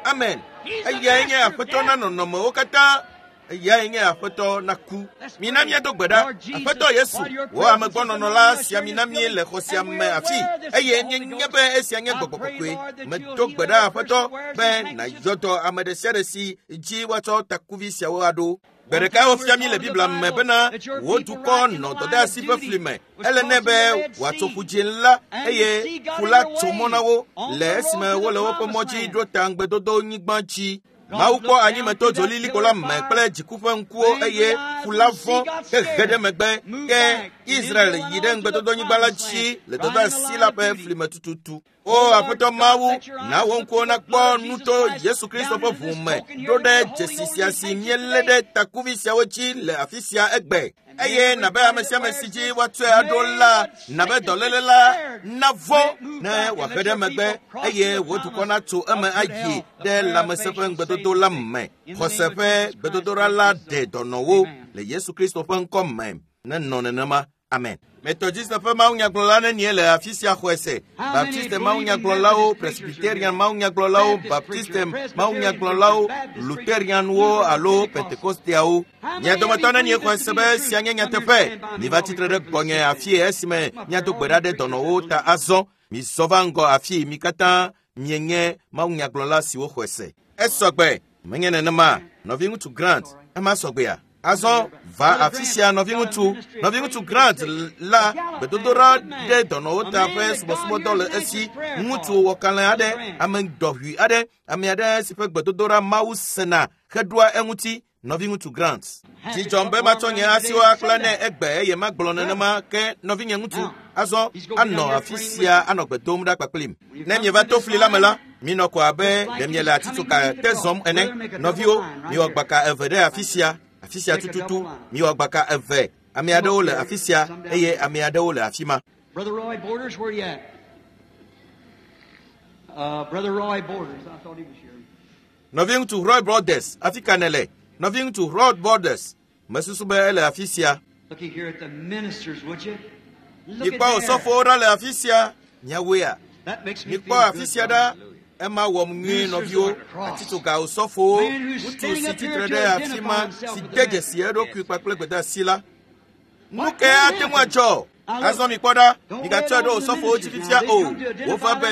Amen. Eyae nye Aƒetɔ na nɔnɔmewo katã. Eyae nye Aƒetɔ na ku. Mina míado gbe ɖa. Aƒetɔ Yesu, wò amegbɔnɔnɔ la sia mina mí le xɔ sia me afi, eye míenya be esia nye Gbɔgbɔ Kɔkɔe. Medo gbe ɖa, Aƒetɔ, be nàyɔ dɔ ame ɖe sia ɖe si dzi woatsɔ takuvi siawo aɖo. Gbe ɖeka wofia mí le Biblia me bena wò dukɔ nɔ dɔdeasi ƒe fli me. Ele nɛ be wòatso ƒu dzĩ la, eye ƒu la tso mɔ na wo le esime wole woƒe mɔ dzi ɖo ta ŋugbedodo nyigba dzi. Mawu kpɔ anyimeto dzolilikpo la me kple dziku ƒe ŋkuwo, eye ƒu la vɔ̃ hehe ɖe megbe. Ke Israel yi ɖe ŋugbedodonyigba la dzi le dɔdeasi la ƒe fli me tututu. O Aƒetɔ Mawu, na wò ŋkuwo nakpɔ nu tso Yesu Kristo ƒe ʋu me ɖo ɖe dzesi sia si míelé ɖe takuvi siawo dzi le afi sia egbe. Eye nabe ame sia ame si dzi woatsɔe aɖo la, nabe dɔléle la navɔ̃ ne wòahe ɖe megbe, eye wò dukɔ natso eme ayi ɖe lãmesẽ ƒe ŋugbedodo la me. Xɔse ƒe gbedodoɖa la ɖe dɔnɔwo le Yesu Kristo ƒe ŋkɔ me. Nenɔ nenema. Amen. Methodiste ƒe mawunyagblɔla nenie le afi sia xɔe se? Baptiste mawunyagblɔlawo, Presbyterian mawunyagblɔlawo, Baptiste mawunyagblɔlawo, Lutherianwo alo Pentekosteawo. Mia dometɔ nenie xɔe se be esia nye nyateƒe? Miva tsitre ɖe gbɔnye afie esime miado gbe ɖa ɖe dɔnɔwo ta azɔ. Mizɔ va ŋgɔ afii, mi katã mienye mawunyagblɔla siwo xɔe se. Esɔgbe, menye nenema. Nɔviŋutsu Grant, ema sɔgbea? Azɔ va afi sia, nɔviŋutsu. Nɔviŋutsu Grant la gbedodoɖa ɖe dɔnɔwo ta ƒe subɔsubɔdɔ le esi. Ŋutsu wɔkalẽ aɖe, ame dɔʋui aɖe, ame aɖe si ƒe gbedodoɖa Mawu sena heɖoa eŋuti. Nɔviŋutsu Grant. Dzidzɔm be matsɔ nye asiwo akpla nɛ egbe eye magblɔ nenema ke nɔvinye ŋutsu. Azɔ anɔ afi sia anɔ gbe dom ɖa kpakplim. Ne mieva to fli la me la, minɔ ko abe ɖe miele atitsoga te zɔm ene. Nɔviwo, miwɔ gbaka eve ɖe afi sia. Afi sia tututu, miwɔ gbaka eve. Ame aɖewo le afi sia eye ame aɖewo le afi ma. Brother Roy Borders, where you at? Uh, Brother Roy Borders, I thought he was here. Nɔviŋutsu Roy Borders, afi ka nèle? Nɔviŋutsu Roy Borders, mesusu be ele afi sia. Looky here at the ministers, would you? Look Mikpɔ at there. osɔfowo ɖa le afi sia. Miawoea? That makes me Mikpɔ feel afi good, sia brother. ɖa. Ema wɔm nyuie, nɔviwo. Atitsoga osɔfowo, ŋutsu si tsitre ɖe afi ma si de dzesi eɖokui kpakple gbedeasi la. Nu kae ate ŋu adzɔ? Azɔ mi kpɔ ɖa, migatsɔe ɖo osɔfowo dzi fifia o. Wova be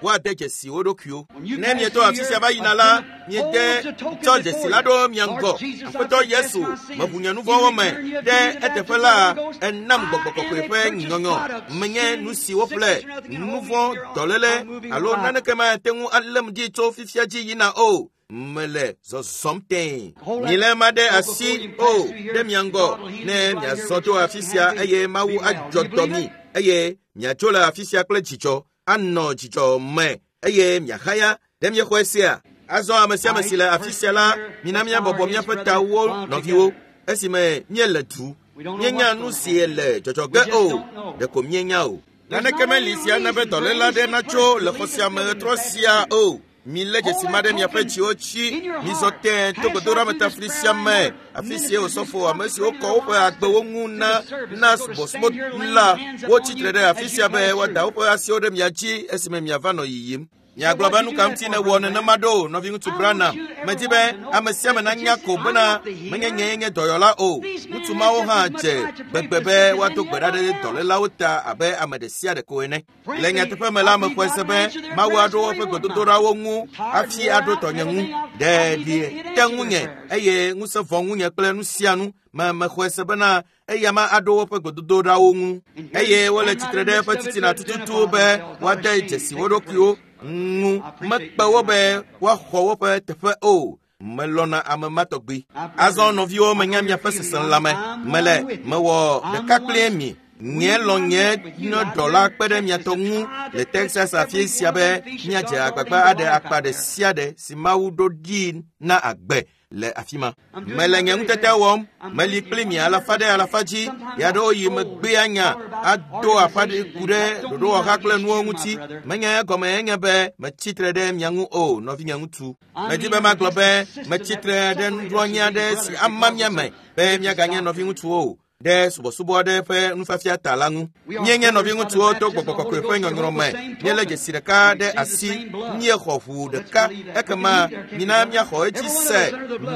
woade dzesi wo ɖokuiwo. Ne mieto afi sia va yina la, miede tsɔ dzesi la ɖo mia ŋgɔ. Aƒetɔ Yesu, meʋu nye nu vɔ̃wo me ɖe eteƒe la, enam gbɔgbɔ kɔkɔe ƒe nyɔnyɔ. Menye nu si woƒle, nu vɔ̃, dɔléle alo naneke mate ŋu além dzi tso fifia dzi yina o. Mele zɔzɔm tẽe. Milé ma ɖe asi o ɖe mia ŋgɔ ne miazɔ tso afi sia eye Mawu adzɔ dɔ mi eye miatso le afi sia kple dzidzɔ anɔ dzidzɔ me eye miahaya ɖe miexɔe sia. Azɔ ame sia ame si le afi sia la, mina míabɔbɔ míaƒe tawo nɔviwo esime míele du. Míenya nu si le dzɔdzɔ ge o, ɖeko míenya o. Naneke meli sia na be dɔléle aɖe natso le xɔ sia me ɣetrɔ sia o. Milé dzesi ma ɖe miaƒe dziwo dzi. Mizɔ tẽe to gbedoɖametafli sia me, afi si osɔfo ame siwo kɔ woƒe agbewo ŋu na na subɔsubɔ la, wotsi tre ɖe afi sia be woada woƒe asiwo ɖe mia dzi esime miava nɔ yiyim. Miagblɔ be nu ka ŋuti nèwɔ nenema ɖo, nɔviŋutsu Branham? Medi be ame sia ame nanya ko bena menye nyee nye dɔyɔla o. Ŋutsu mawo hã dze gbegbe be woado gbe ɖa ɖe dɔlélawo ta abe ame ɖe sia ɖe ko ene. Le nyateƒe me la, mexɔe se be Mawu aɖo woƒe gbedodoɖawo ŋu hafi aɖo tɔnye ŋu. Ɖe ɖi te ŋunye eye ŋusẽ vɔ ŋunye kple nu sia nu. Me mexɔe se bena eya ma aɖo woƒe gbedodoɖawo ŋu. Eye wole tsitre ɖe eƒe titina tututu be woade dzesi wo ɖokuiwo ŋu. Mekpe wo be woaxɔ woƒe teƒe o. Melɔ̃na ame ma tɔgbi. Azɔ nɔviwo, menya miaƒe seselãme. Mele mewɔ ɖeka kpli mi. Nye lɔ nye nye dɔla kpe ɖe miatɔ ŋu le Texas afi sia be míadze agbagba aɖe akpa ɖe sia ɖe si Mawu ɖo ɖi na agbe le afi ma. Mele nye ŋutete wɔm. Meli kpli mi alafa ɖe alafa dzi. Ɣeaɖewoɣi megbea nya ado aƒa ɖe ku ɖe ɖoɖowɔha kple nuwo ŋuti. Menye egɔme enye be metsi tre ɖe mia ŋu o, nɔvinye ŋutsu. Medi be magblɔ be metsi tre ɖe nuɖoanyi aɖe si ama mia me be miaganye nɔviŋutsuwo o ɖe subɔsubɔ aɖe ƒe nufiafia ta la ŋu. Míenye nɔviŋutsuwo to gbɔgbɔ kɔkɔe ƒe nyɔnyrɔ me. Míelé dzesi ɖeka ɖe asi, míexɔ ʋu ɖeka. Ekema mina míaxɔ edzi se.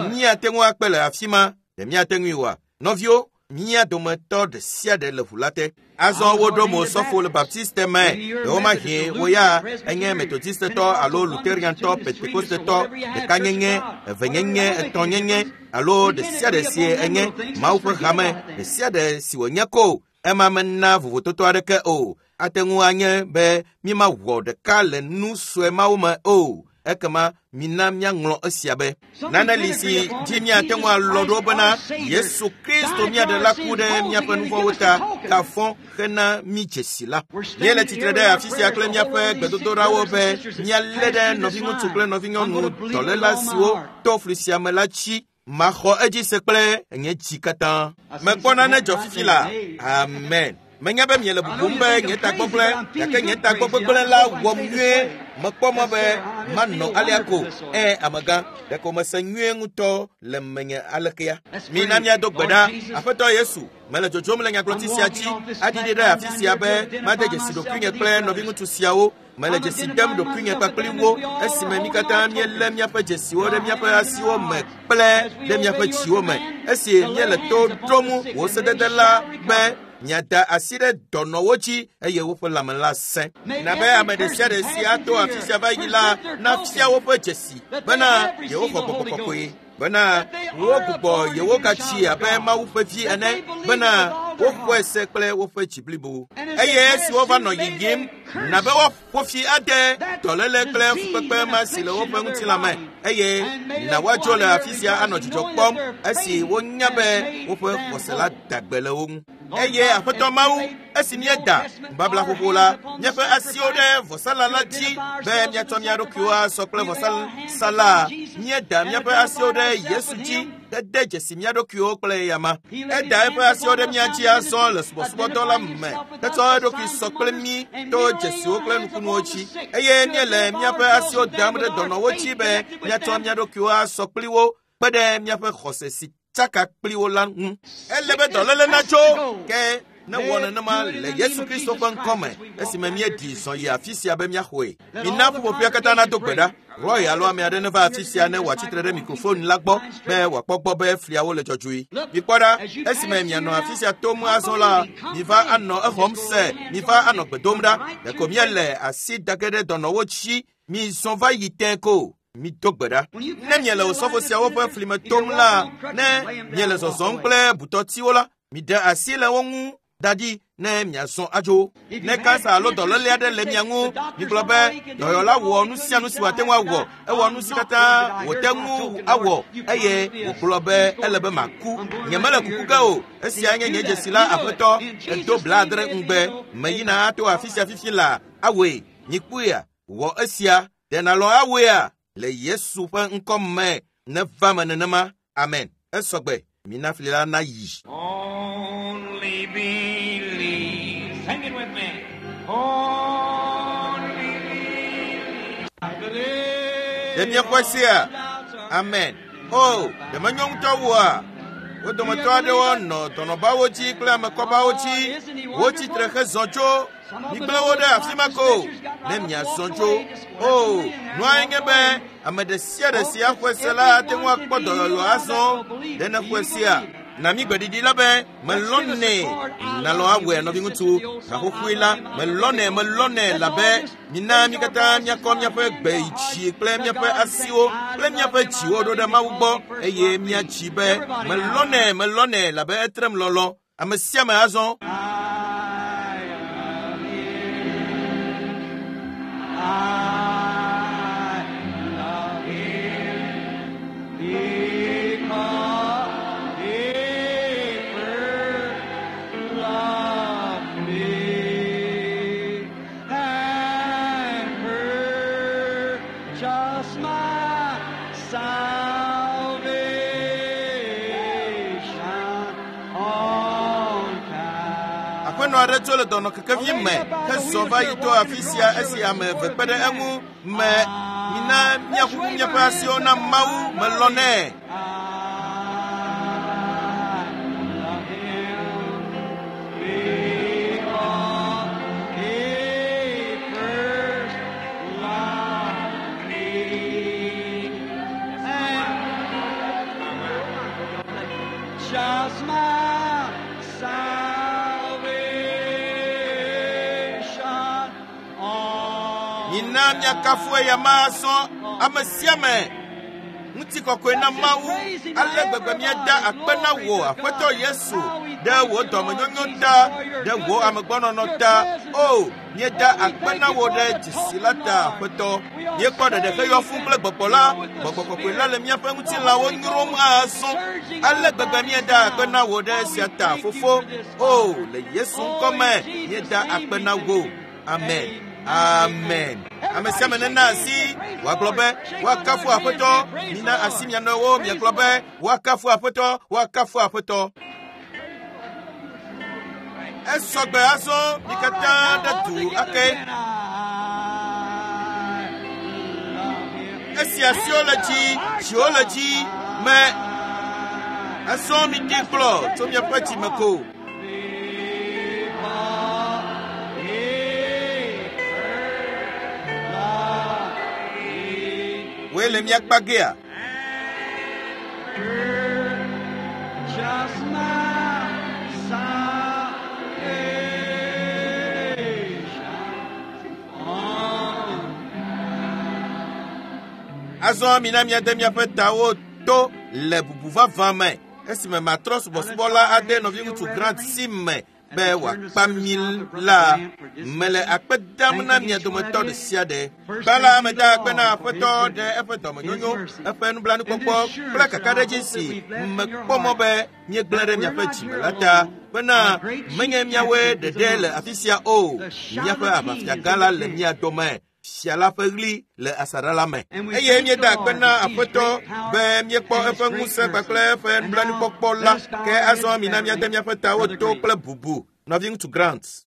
Míate ŋu akpe le afi ma. Ɖe míate ŋui oa? Nɔviwo, mía dometɔ ɖe sia ɖe le ʋu la te. Azɔ woɖo mo sɔfo le Baptiste me. Ɖewomahi wo ya enye Methodistetɔ alo Lutheriantɔ, Pentecostetɔ, ɖekanyenye, evenyenye, etɔ̃nyenye alo ɖe sia ɖe si enye Mawu ƒe hame ɖe sia ɖe si wònye ko. Ema mena vovototo aɖeke o. Ate ŋu anye be mímawɔ ɖeka le nu sue mawo me o. Ekema mina míaŋlɔ esia be. Nane li si dzi míate ŋu alɔ ɖo bena Yesu Kristo mía ɖela ku ɖe míaƒe nu vɔ̃wo ta gafɔ hena mí dzesi la. Míele tsitre ɖe afi sia kple míaƒe gbedodoɖawo be míalé ɖe nɔviŋutsu kple nɔvinyɔnu dɔléla siwo to fli sia me la dzi. Maxɔ edzi se kple nye dzi katã. Mekpɔ nane dzɔ fifi la. Amen. Menya be miele bubum be nye tagbɔgblẽ, gake nye tagbɔgbegblẽ la wɔm nyuie. Mekpɔ mɔ be manɔ alea ko. Ẽ, amegã, ɖeko mese nyuie ŋutɔ le menye alekea. Mina míado gbe ɖa. Aƒetɔ Yesu, mele dzodzom le nyagblɔti sia dzi aɖiɖi ɖe afi sia be made dzesi ɖokuinye kple nɔviŋutsu siawo. Mele dzesi dem ɖokuinye kpakpli wo esime mí katã míelé míaƒe dzesiwo ɖe míaƒe asiwo me kple ɖe míaƒe dziwo me. Esi míele to ɖom wò sedede la be miada asi ɖe dɔnɔwo dzi eye woƒe lãme la sẽ. Na be ame ɖe sia ɖe si ato afi sia va yi la nafia woƒe dzesi bena yewoxɔ gbɔgbɔ kɔkɔe, bena wogbugbɔ yewo gatsi abe Mawu ƒe vi ene, bena woxɔe se kple woƒe dzi blibo. Eye esi wova nɔ yiyim, na be woaƒo fi ade dɔléle kple fukpekpe ma si le woƒe ŋutilã me, eye na woadzo le afi sia anɔ dzidzɔ kpɔm esi wonya be woƒe xɔse la da gbe le wo ŋu. Eye Aƒetɔ Mawu, esi míeda nubabla xoxo la, míaƒe asiwo ɖe vɔsala la dzi be míatsɔ mía ɖokuiwo asɔ kple vɔsala. Míeda míaƒe asiwo ɖe Yesu dzi hede dzesi mía ɖokuiwo kple eyama. Eda eƒe asiwo ɖe mía dzi azɔ le subɔsubɔdɔ la me hetsɔ eɖokui sɔ kple mí to dzesiwo kple nukunuwo dzi. Eye míele míaƒe asiwo dam ɖe dɔnɔwo dzi be míatsɔ mía ɖokuiwo asɔ kpli wo kpe ɖe míaƒe xɔse si tsaka kpli wo la ŋu. Ele be dɔléle natso, ke Ne wɔ nenema le Yesu Kristo ƒe ŋkɔme esime míeɖi zɔ yi afi sia be míaxɔe. Mina ƒuƒoƒea katã nado gbe ɖa. Roy alo ame aɖe neva afi sia ne wòatsitre ɖe mikrofon la gbɔ be wòakpɔ gbɔ be fliawo le dzɔdzɔe. Mikpɔ ɖa, esime mianɔ afi sia tom azɔ la, miva anɔ exɔm se, miva anɔ gbe dom ɖa. Ɖeko míele asi da ge ɖe dɔnɔwo dzi, mizɔ va yi tẽ ko. Mido gbe ɖa. Ne miele osɔfo siawo ƒe fli me tom la, ne miele zɔzɔm kple butɔtiwo la, miɖe asi le wo ŋu da ɖi ne miazɔ adzo. Ne kansa alo dɔléle aɖe le mia ŋu, migblɔ be dɔyɔla wɔ nu sia nu si wòate ŋu awɔ, ewɔ nu si katã wòte ŋu awɔ eye wògblɔ be ele be maku. Nyemele kuku ge o. Esia nye nye dzesi la, Aƒetɔ, edo blaadre ŋugbe. Meyina ato afi sia fifi la awɔe. Mikpɔea, wɔ esia. Ɖe nàlɔ̃ awɔea? Le Yesu ƒe ŋkɔ me neva me nenema. Amen. Esɔgbe. Mina fli la nayi. Only believe. Sing it with me. Only believe. I believe. Ɖe miexɔe sea? Amen. O, ɖe menyo ŋutɔ woa? Wo dometɔ aɖewo nɔ dɔnɔbawo dzi kple amekɔbawo dzi. Wotsi tre hezɔ tso. Migblẽ wo ɖe afi ma ko ne miazɔ tso. O, nuae nye be ame ɖe sia ɖe si axɔe se la ate ŋu akpɔ dɔyɔyɔ azɔ. Ɖe nexɔe sea? Na mi gbeɖiɖi la be melɔnɛ nalɔ awɔe nɔviŋutsu haxoxoe la melɔnɛ melɔnɛ labe mina mi katã míakɔ míaƒe gbe yi dzi kple míaƒe asiwo kple míaƒe dziwo ɖo ɖe Mawu gbɔ eye míadzi be melɔnɛ melɔnɛ labe etrem lɔlɔ. Ame sia ame azɔ. I love him because he first loved me and purchased my salvation on Calvary. Aƒenɔ aɖe tso le dɔnɔkekevi me hezɔ va yi to afi sia esi ame eve kpe ɖe eŋu me. Mina míaƒuƒu míaƒe asiwo na Mawu melɔnɛ. I love him because he first loved me and just my salvation on Mina míakafu eya ma azɔ ame sia ame. Ŋutikɔkɔe na Mawu. Ale gbegbe míada akpe na wò, Aƒetɔ Yesu, ɖe wò dɔmenyonyo ta, ɖe wò amegbɔnɔnɔ ta. O, míeda akpe na wò ɖe dzesi la ta, Aƒetɔ. Míekpɔ ɖeɖe heyɔ fũu kple gbɔgbɔ la. Gbɔgbɔ kɔkɔe la le míaƒe ŋutilãwo nyrom azɔ. Ale gbegbe míeda akpe na wò ɖe esia ta, Fofo. O, le Yesu ŋkɔ me, míeda akpe na wò. Amen. Amen. Ame sia ame nena asi wòagblɔ be woakafu Aƒetɔ. Mina asi mia nɔewo miagblɔ be woakafu Aƒetɔ, woakafu Aƒetɔ. Esɔgbe azɔ mi katã ɖe du ake. Esi asiwo le dzi, dziwo le dzi me. Azɔ mi ɖi gblɔ tso miaƒe dzime ko. Woe le mía kpa gea? Just my salvation on Azɔ mina míade míaƒe tawo to le bubu vavã me esime matrɔ subɔsubɔla ade nɔviŋutsu Grant si me be wòakpa mí la. Mele akpe dam na mia dometɔ ɖe sia ɖe. Gbã la, meda akpe na Aƒetɔ ɖe eƒe dɔmenyonyo, eƒe nublanuikpɔkpɔ kple kakaɖedzi si mekpɔ mɔ be míegblẽ ɖe miaƒe dzime la ta bena menye míawoe ɖeɖe le afi sia o. Míaƒe aʋafiagã la le mía dome. Fia la ƒe ɣli le asaɖa la me. Eye míeda akpe na Aƒetɔ be míekpɔ eƒe ŋusẽ kpakple eƒe nublanuikpɔkpɔ la. Ke azɔ mina míade míaƒe tawo to kple bubu. Nɔviŋutsu Grant.